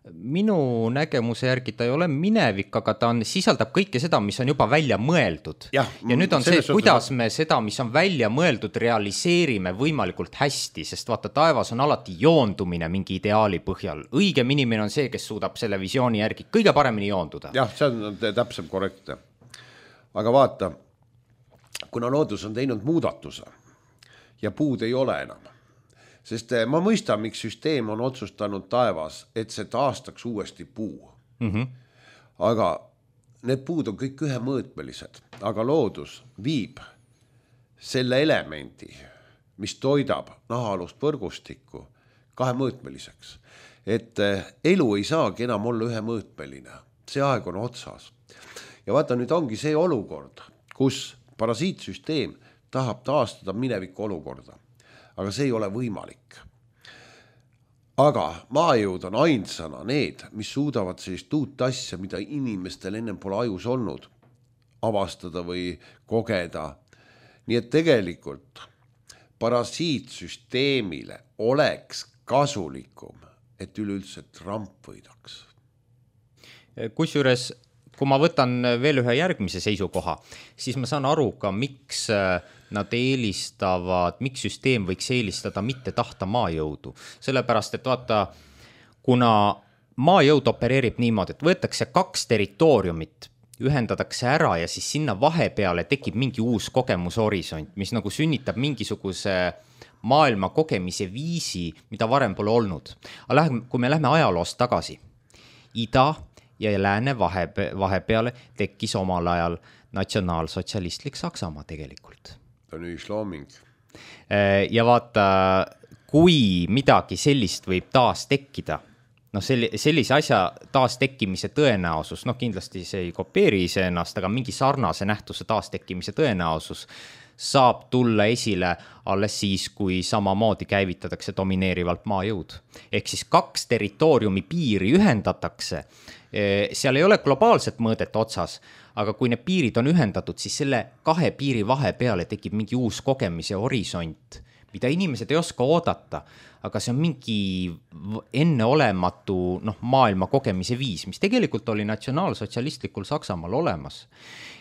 minu nägemuse järgi ta ei ole minevik, aga ta sisaldab kõike seda, mis on juba välja mõeldud. Ja nüüd on see, kuidas me seda, mis on välja mõeldud, realiseerime võimalikult hästi, sest vaata, taevas on alati joondumine mingi ideaali põhjal. Õigem inimene on see, kes suudab selle visiooni järgi kõige paremini joonduda. Jah, see on täpselt korrektne. Aga vaata, kuna loodus on teinud muudatuse ja puud ei ole enam, sest ma mõistan, miks süsteem on otsustanud taevas, et see taastaks uuesti puu. Aga need puud on kõik ühemõõtmelised, aga loodus viib selle elemendi, mis toidab nahaalust võrgustikku kahemõõtmeliseks, et elu ei saagi enam olla ühemõõtmeline, see aeg on otsas. Ja vaata, nüüd ongi see olukord, kus parasiitsüsteem tahab taastada mineviku olukorda, aga see ei ole võimalik. Aga maajõud on ainsana need, mis suudavad sellist uut asja, mida inimestel ennem pole ajus olnud, avastada või kogeda. Nii et tegelikult parasiitsüsteemile oleks kasulikum, et üleüldse Trump võidaks. Kusjuures, kui ma võtan veel ühe järgmise seisukoha, siis ma saan aru ka, miks nad eelistavad, miks süsteem võiks eelistada mitte tahta maajõudu. Sellepärast, et vaata, kuna maajõud opereerib niimoodi, et võetakse 2 territooriumit, ühendatakse ära ja siis sinna vahepeale tekib mingi uus kogemushorisont, mis nagu sünnitab mingisuguse maailma kogemise viisi, mida varem pole olnud. Aga kui me lähme ajaloost tagasi, ida ja lääne vahepeale tekkis omal ajal natsionaalsotsialistlik Saksamaa tegelikult. Ta on ühislooming. Ja vaata, kui midagi sellist võib taas tekkida, sellise asja taas tekkimise tõenäosus, kindlasti see ei kopeeri iseennast, aga mingi sarnase nähtuse taas tekkimise tõenäosus saab tulla esile alles siis, kui samamoodi käivitatakse domineerivalt maajõud. Ehk siis 2 territooriumi piiri ühendatakse, seal ei ole globaalset mõõdet otsas, aga kui need piirid on ühendatud, siis selle 2 piiri vahepeale tekib mingi uus kogemise horisont, mida inimesed ei oska oodata, aga see on mingi enneolematu maailma kogemise viis, mis tegelikult oli natsionaalsotsialistlikul Saksamaal olemas.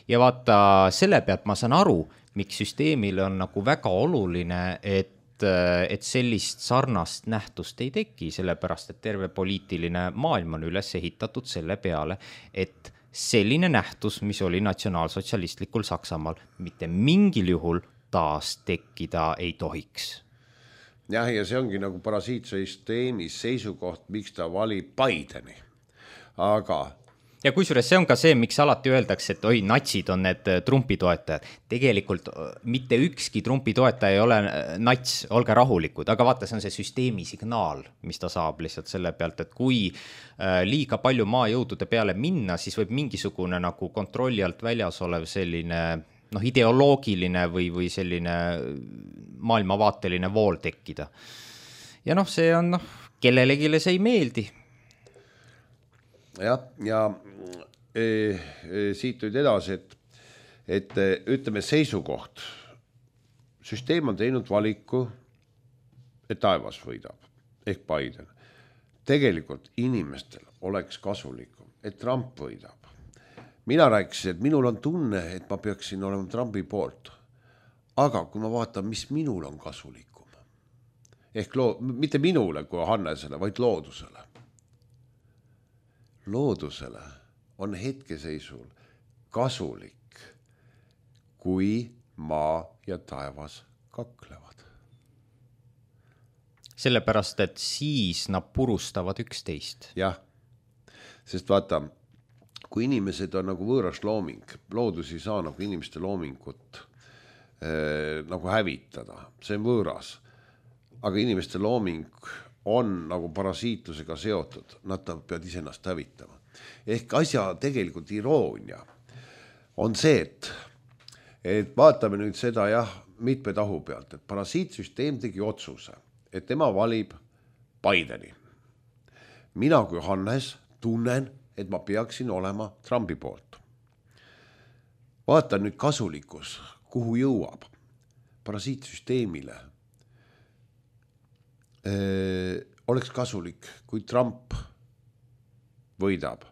Ja vaata, selle pealt ma saan aru, miks süsteemil on nagu väga oluline, et sellist sarnast nähtust ei teki, sellepärast, et terve poliitiline maailm on üles ehitatud selle peale, et selline nähtus, mis oli natsionaalsotsialistlikul Saksamaal, mitte mingil juhul taas tekkida ei tohiks. Jah, ja see ongi nagu parasiitsüsteemi seisukoht, miks ta valib Bideni. Aga ja kusjuures see on ka see, miks alati öeldakse, et oi, natsid on need Trumpi toetajad. Tegelikult mitte ükski Trumpi toetaja ei ole nats, olge rahulikud, aga vaata, see on see süsteemi signaal, mis ta saab lihtsalt selle pealt, et kui liiga palju maajõudude peale minna, siis võib mingisugune nagu kontrolli alt väljas olev selline ideoloogiline või selline maailmavaateline vool tekkida. Ja see on, kellelegi see ei meeldi. Ja siit nüüd edasi, et ütleme seisukoht. Süsteem on teinud valiku, et taevas võidab, ehk Biden. Tegelikult inimestel oleks kasulikum, et Trump võidab. Mina rääkisin, et minul on tunne, et ma peaksin olema Trumpi poolt. Aga kui ma vaatan, mis minul on kasulikum, ehk mitte minule kui Hannesele, vaid loodusele. Loodusele on hetkeseisul kasulik, kui maa ja taevas kaklevad. Sellepärast, et siis nad purustavad üksteist. Jah, sest vaata, kui inimesed on nagu võõras looming, loodus ei saa nagu inimeste loomingut nagu hävitada, see on võõras. Aga inimeste looming on nagu parasiitlusega seotud, nad peavad iseennast hävitama. Ehk asja tegelikult iroonia on see, et vaatame nüüd seda mitme tahu pealt, et parasiitsüsteem tegi otsuse, et tema valib Bideni. Mina kui Hannes tunnen, et ma peaksin olema Trumpi poolt. Vaatan nüüd kasulikkus, kuhu jõuab parasiitsüsteemile. Oleks kasulik, kui Trump võidab.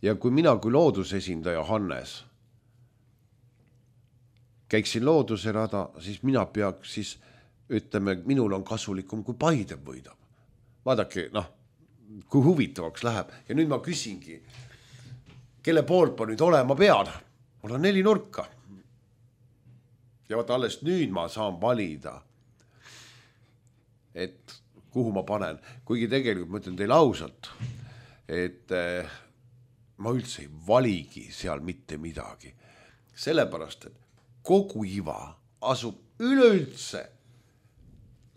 Ja kui mina kui loodusesindaja Hannes käiksin looduse rada, siis mina peaks siis, ütleme, minul on kasulikum, kui Biden võidab. Vaadake, kui huvitavaks läheb. Ja nüüd ma küsingi, kelle poolt ma nüüd olema pean? Mul on 4 nurka. Ja vaata, alles nüüd ma saan valida, et kuhu ma panen. Kuigi tegelikult ma ütlen teile ausalt, et ma üldse ei valigi seal mitte midagi. Sellepärast, et kogu iva asub üleüldse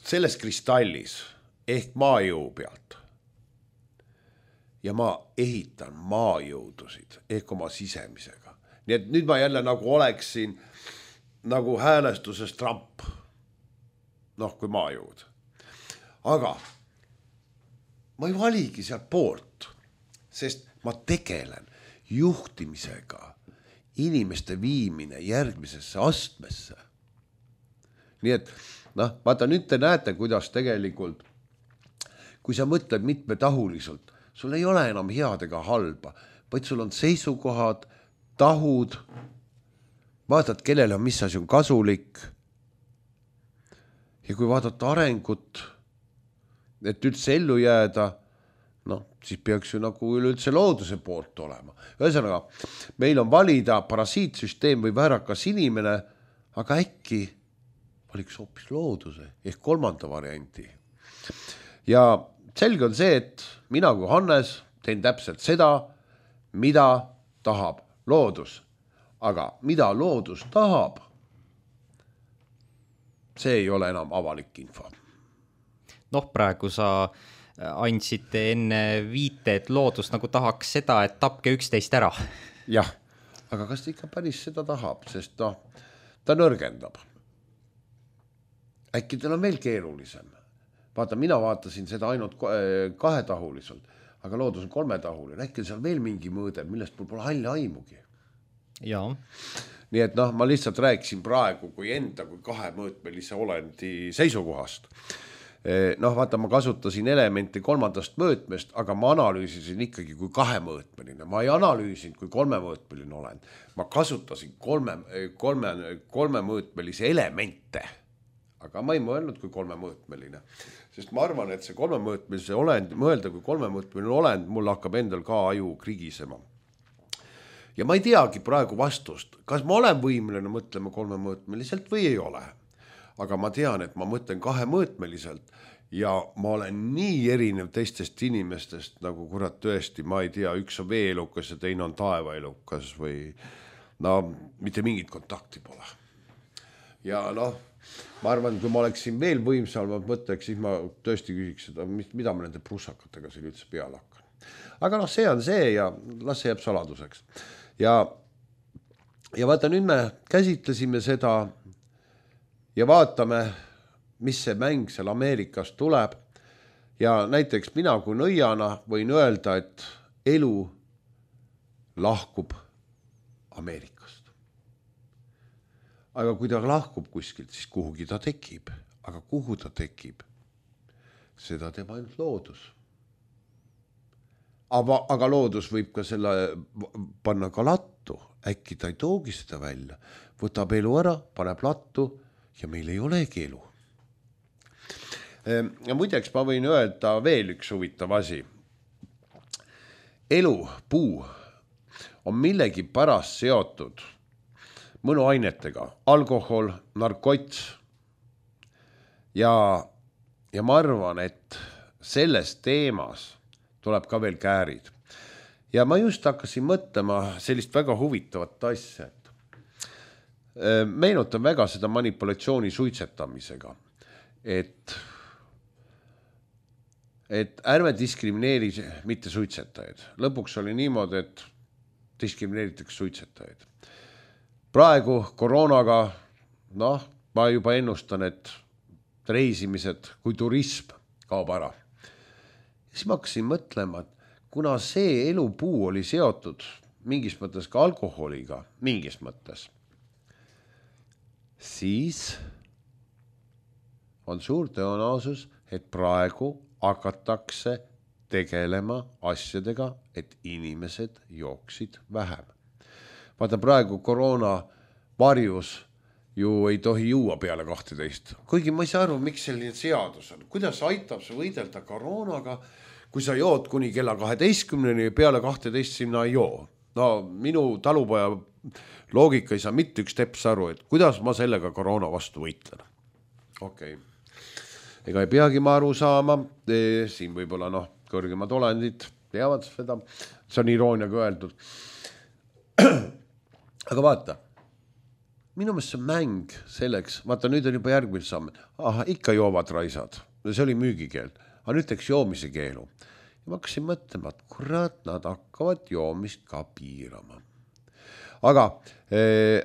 selles kristallis, ehk maajõu pealt. Ja ma ehitan maajõudusid ehk oma sisemisega. Nii et nüüd ma jälle nagu oleksin nagu häälestuses Trump. Noh, kui maajõud. Aga ma ei valigi sealt poolt, sest ma tegelen juhtimisega, inimeste viimine järgmisesse astmesse. Nii et, vaata nüüd te näete, kuidas tegelikult, kui sa mõtled mitmetahuliselt, sul ei ole enam head ega halba, vaid sul on seisukohad, tahud, vaatad, kellele on mis asi on kasulik. Ja kui vaadata arengut, et üldse ellu jääda, siis peaks ju nagu üleüldse looduse poolt olema. Ühesõnaga, meil on valida parasiitsüsteem või väärakas inimene, aga äkki valiks hoopis looduse ehk kolmanda varianti. Ja selge on see, et mina kui Hannes teen täpselt seda, mida tahab loodus. Aga mida loodus tahab, see ei ole enam avalik info. Praegu sa andsid enne viite, et loodus nagu tahaks seda, et tapke 11 ära. Jah, aga kas ta ikka päris seda tahab, sest ta nõrgendab. Äkki tal on veel keerulisem. Vaata, mina vaatasin seda ainult kahetahuliselt, aga loodus on kolmetahuline. Äkki seal veel mingi mõõde, millest mul pole halli aimugi. Jaa. Nii et ma lihtsalt rääkisin praegu kui enda kui kahemõõtmelise olendi seisukohast. Vaata, ma kasutasin elementi kolmandast mõõtmest, aga ma analüüsisin ikkagi kui kahemõõtmeline. Ma ei analüüsinud kui kolmemõõtmeline olend. Ma kasutasin kolmemõõtmelise elemente, aga ma ei mõelnud kui kolmemõõtmeline. Sest ma arvan, et see kolmemõõtmelise olend, mõelda kui kolmemõõtmeline olend, mul hakkab endal ka aju krigisema. Ja ma ei teagi praegu vastust, kas ma olen võimeline mõtlema kolmemõõtmeliselt või ei ole. Aga ma tean, et ma mõtlen kahemõõtmeliselt ja ma olen nii erinev teistest inimestest, nagu kurat tõesti, ma ei tea, üks on veeelukas ja teine on taevaelukas või mitte mingit kontakti pole. Ja ma arvan, kui ma oleksin veel võimsam mõtleks, siis ma tõesti küsiks seda, mida ma nende prussakatega siin üldse peale hakkan. Aga see on see ja las see jääb saladuseks. Ja vaata, nüüd me käsitlesime seda ja vaatame, mis see mäng seal Ameerikas tuleb. Ja näiteks mina kui nõiana võin öelda, et elu lahkub Ameerikast. Aga kui ta lahkub kuskilt, siis kuhugi ta tekib. Aga kuhu ta tekib? Seda teeb ainult loodus. Aga loodus võib ka selle panna ka lattu. Äkki ta ei toogi seda välja. Võtab elu ära, paneb lattu ja meil ei olegi elu. Ja muideks ma võin öelda veel üks huvitav asi. Elu, puu on millegi pärast seotud mõnuainetega, alkohol, narkots. Ja ma arvan, et selles teemas tuleb ka veel käärid. Ja ma just hakkasin mõtlema sellist väga huvitavat asja. Meenutan väga seda manipulatsiooni suitsetamisega, et ärme diskrimineeri mitte suitsetajaid. Lõpuks oli niimoodi, et diskrimineeritakse suitsetajaid. Praegu koroonaga, ma juba ennustan, et reisimised kui turism kaob ära. Siis ma hakkasin mõtlema, et kuna see elupuu oli seotud mingis mõttes ka alkoholiga, mingis mõttes, siis on suur tõenäosus, et praegu hakatakse tegelema asjadega, et inimesed jooksid vähem. Vaata, praegu koroona varjus ju ei tohi juua peale 12. Kuigi ma ei saa aru, miks selline seadus on. Kuidas aitab see võidelda koroonaga, kui sa jood kuni kella 12-ni ja peale 12 sinna ei joo? Minu talupoja loogika ei saa mitte üks teps aru, et kuidas ma sellega koroona vastu võitlen. Okei. Ega ei peagi ma aru saama, siin võib-olla kõrgemad olendid teavad seda, see on irooniaga öeldud. Aga vaata, minu meelest see mäng selleks, vaata nüüd on juba järgmine samm, ikka joovad raisad, see oli müügikeeld, aga nüüd teeks joomise keelu. Ja ma hakkasin mõtlema, et kurat, nad hakkavad joomist ka piirama. Aga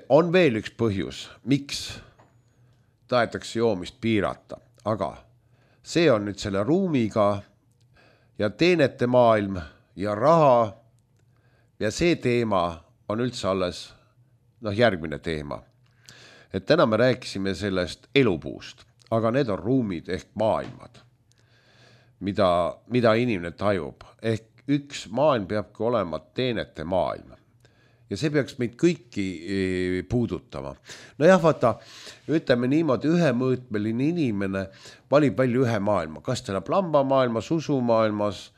on veel üks põhjus, miks tahetakse joomist piirata, aga see on nüüd selle ruumiga ja teenete maailm ja raha ja see teema on üldse alles järgmine teema. Et täna me rääkisime sellest elupuust, aga need on ruumid ehk maailmad, mida inimene tajub. Ehk üks maailm peabki olema teenete maailm. Ja see peaks meid kõiki puudutama. No jah, vaata, ütleme niimoodi, ühemõõtmeline inimene valib välja ühe maailma. Kas ta elab lambamaailmas, usumaailmas,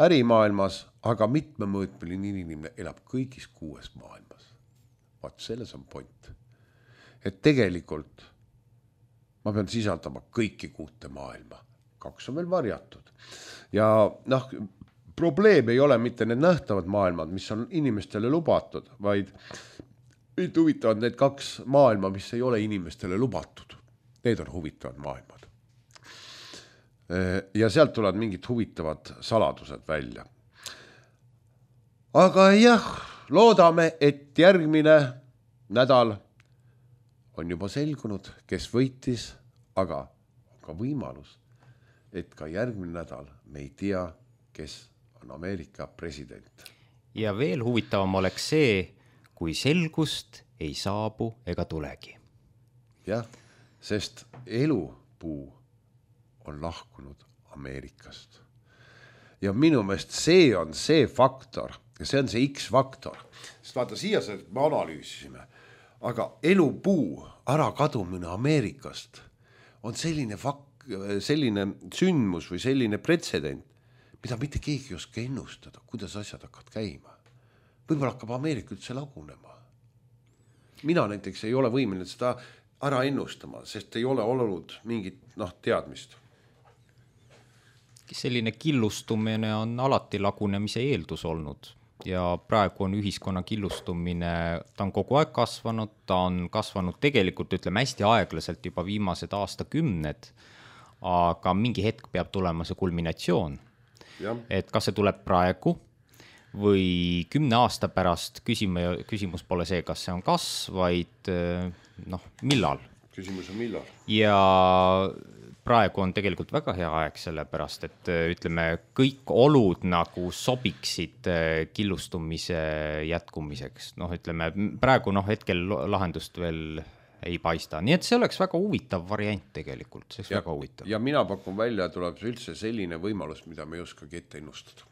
ärimaailmas, aga mitmemõõtmeline inimene elab kõigis 6 maailmas. Vaat selles on point. Et tegelikult ma pean sisaldama kõiki 6 maailma. 2 on veel varjatud. Ja probleem ei ole mitte need nähtavad maailmad, mis on inimestele lubatud, vaid huvitavad need 2 maailma, mis ei ole inimestele lubatud. Need on huvitavad maailmad. Ja sealt tulevad mingid huvitavad saladused välja. Aga jah, loodame, et järgmine nädal on juba selgunud, kes võitis, aga on ka võimalus, et ka järgmine nädal me ei tea, kes on Ameerika president. Ja veel huvitavam oleks see, kui selgust ei saabu ega tulegi. Jah, sest elupuu on lahkunud Ameerikast. Ja minu meelest see on see faktor, ja see on see X-faktor. Sest vaata, siia me analüüsisime, aga elupuu ära kadumine Ameerikast on selline sündmus või selline pretsedent, mida mitte keegi ei oska ennustada, kuidas asjad hakkavad käima. Võib-olla hakkab Ameerika üldse lagunema. Mina näiteks ei ole võimeline seda ära ennustama, sest ei ole olnud mingit teadmist. Selline killustumine on alati lagunemise eeldus olnud ja praegu on ühiskonna killustumine, ta on kogu aeg kasvanud, ta on kasvanud tegelikult, ütleme, hästi aeglaselt juba viimased aastakümned, aga mingi hetk peab tulema see kulminatsioon. Ja. Et kas see tuleb praegu või 10 aasta pärast, küsimus pole see, kas see on kasv, vaid millal. Küsimus on millal. Ja praegu on tegelikult väga hea aeg sellepärast, et ütleme, kõik olud nagu sobiksid killustumise jätkumiseks. Ütleme, praegu hetkel lahendust veel ei paista. Nii et see oleks väga huvitav variant tegelikult. See oleks väga huvitav. Ja mina pakun välja, tuleb üldse selline võimalus, mida me ei oskagi ette ennustada.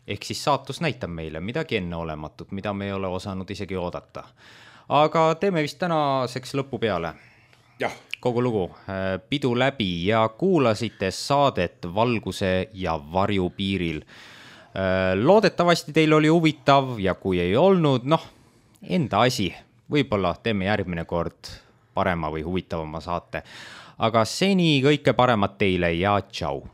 Ehk siis saatus näitab meile midagi enneolematut, mida me ei ole osanud isegi oodata. Aga teeme vist tänaseks lõpu peale. Jah. Kogu lugu. Pidu läbi ja kuulasite saadet Valguse ja varju piiril. Loodetavasti teil oli huvitav ja kui ei olnud, enda asi. Võib-olla teeme järgmine kord parema või huvitavama saate. Aga seni kõike paremat teile ja tšau!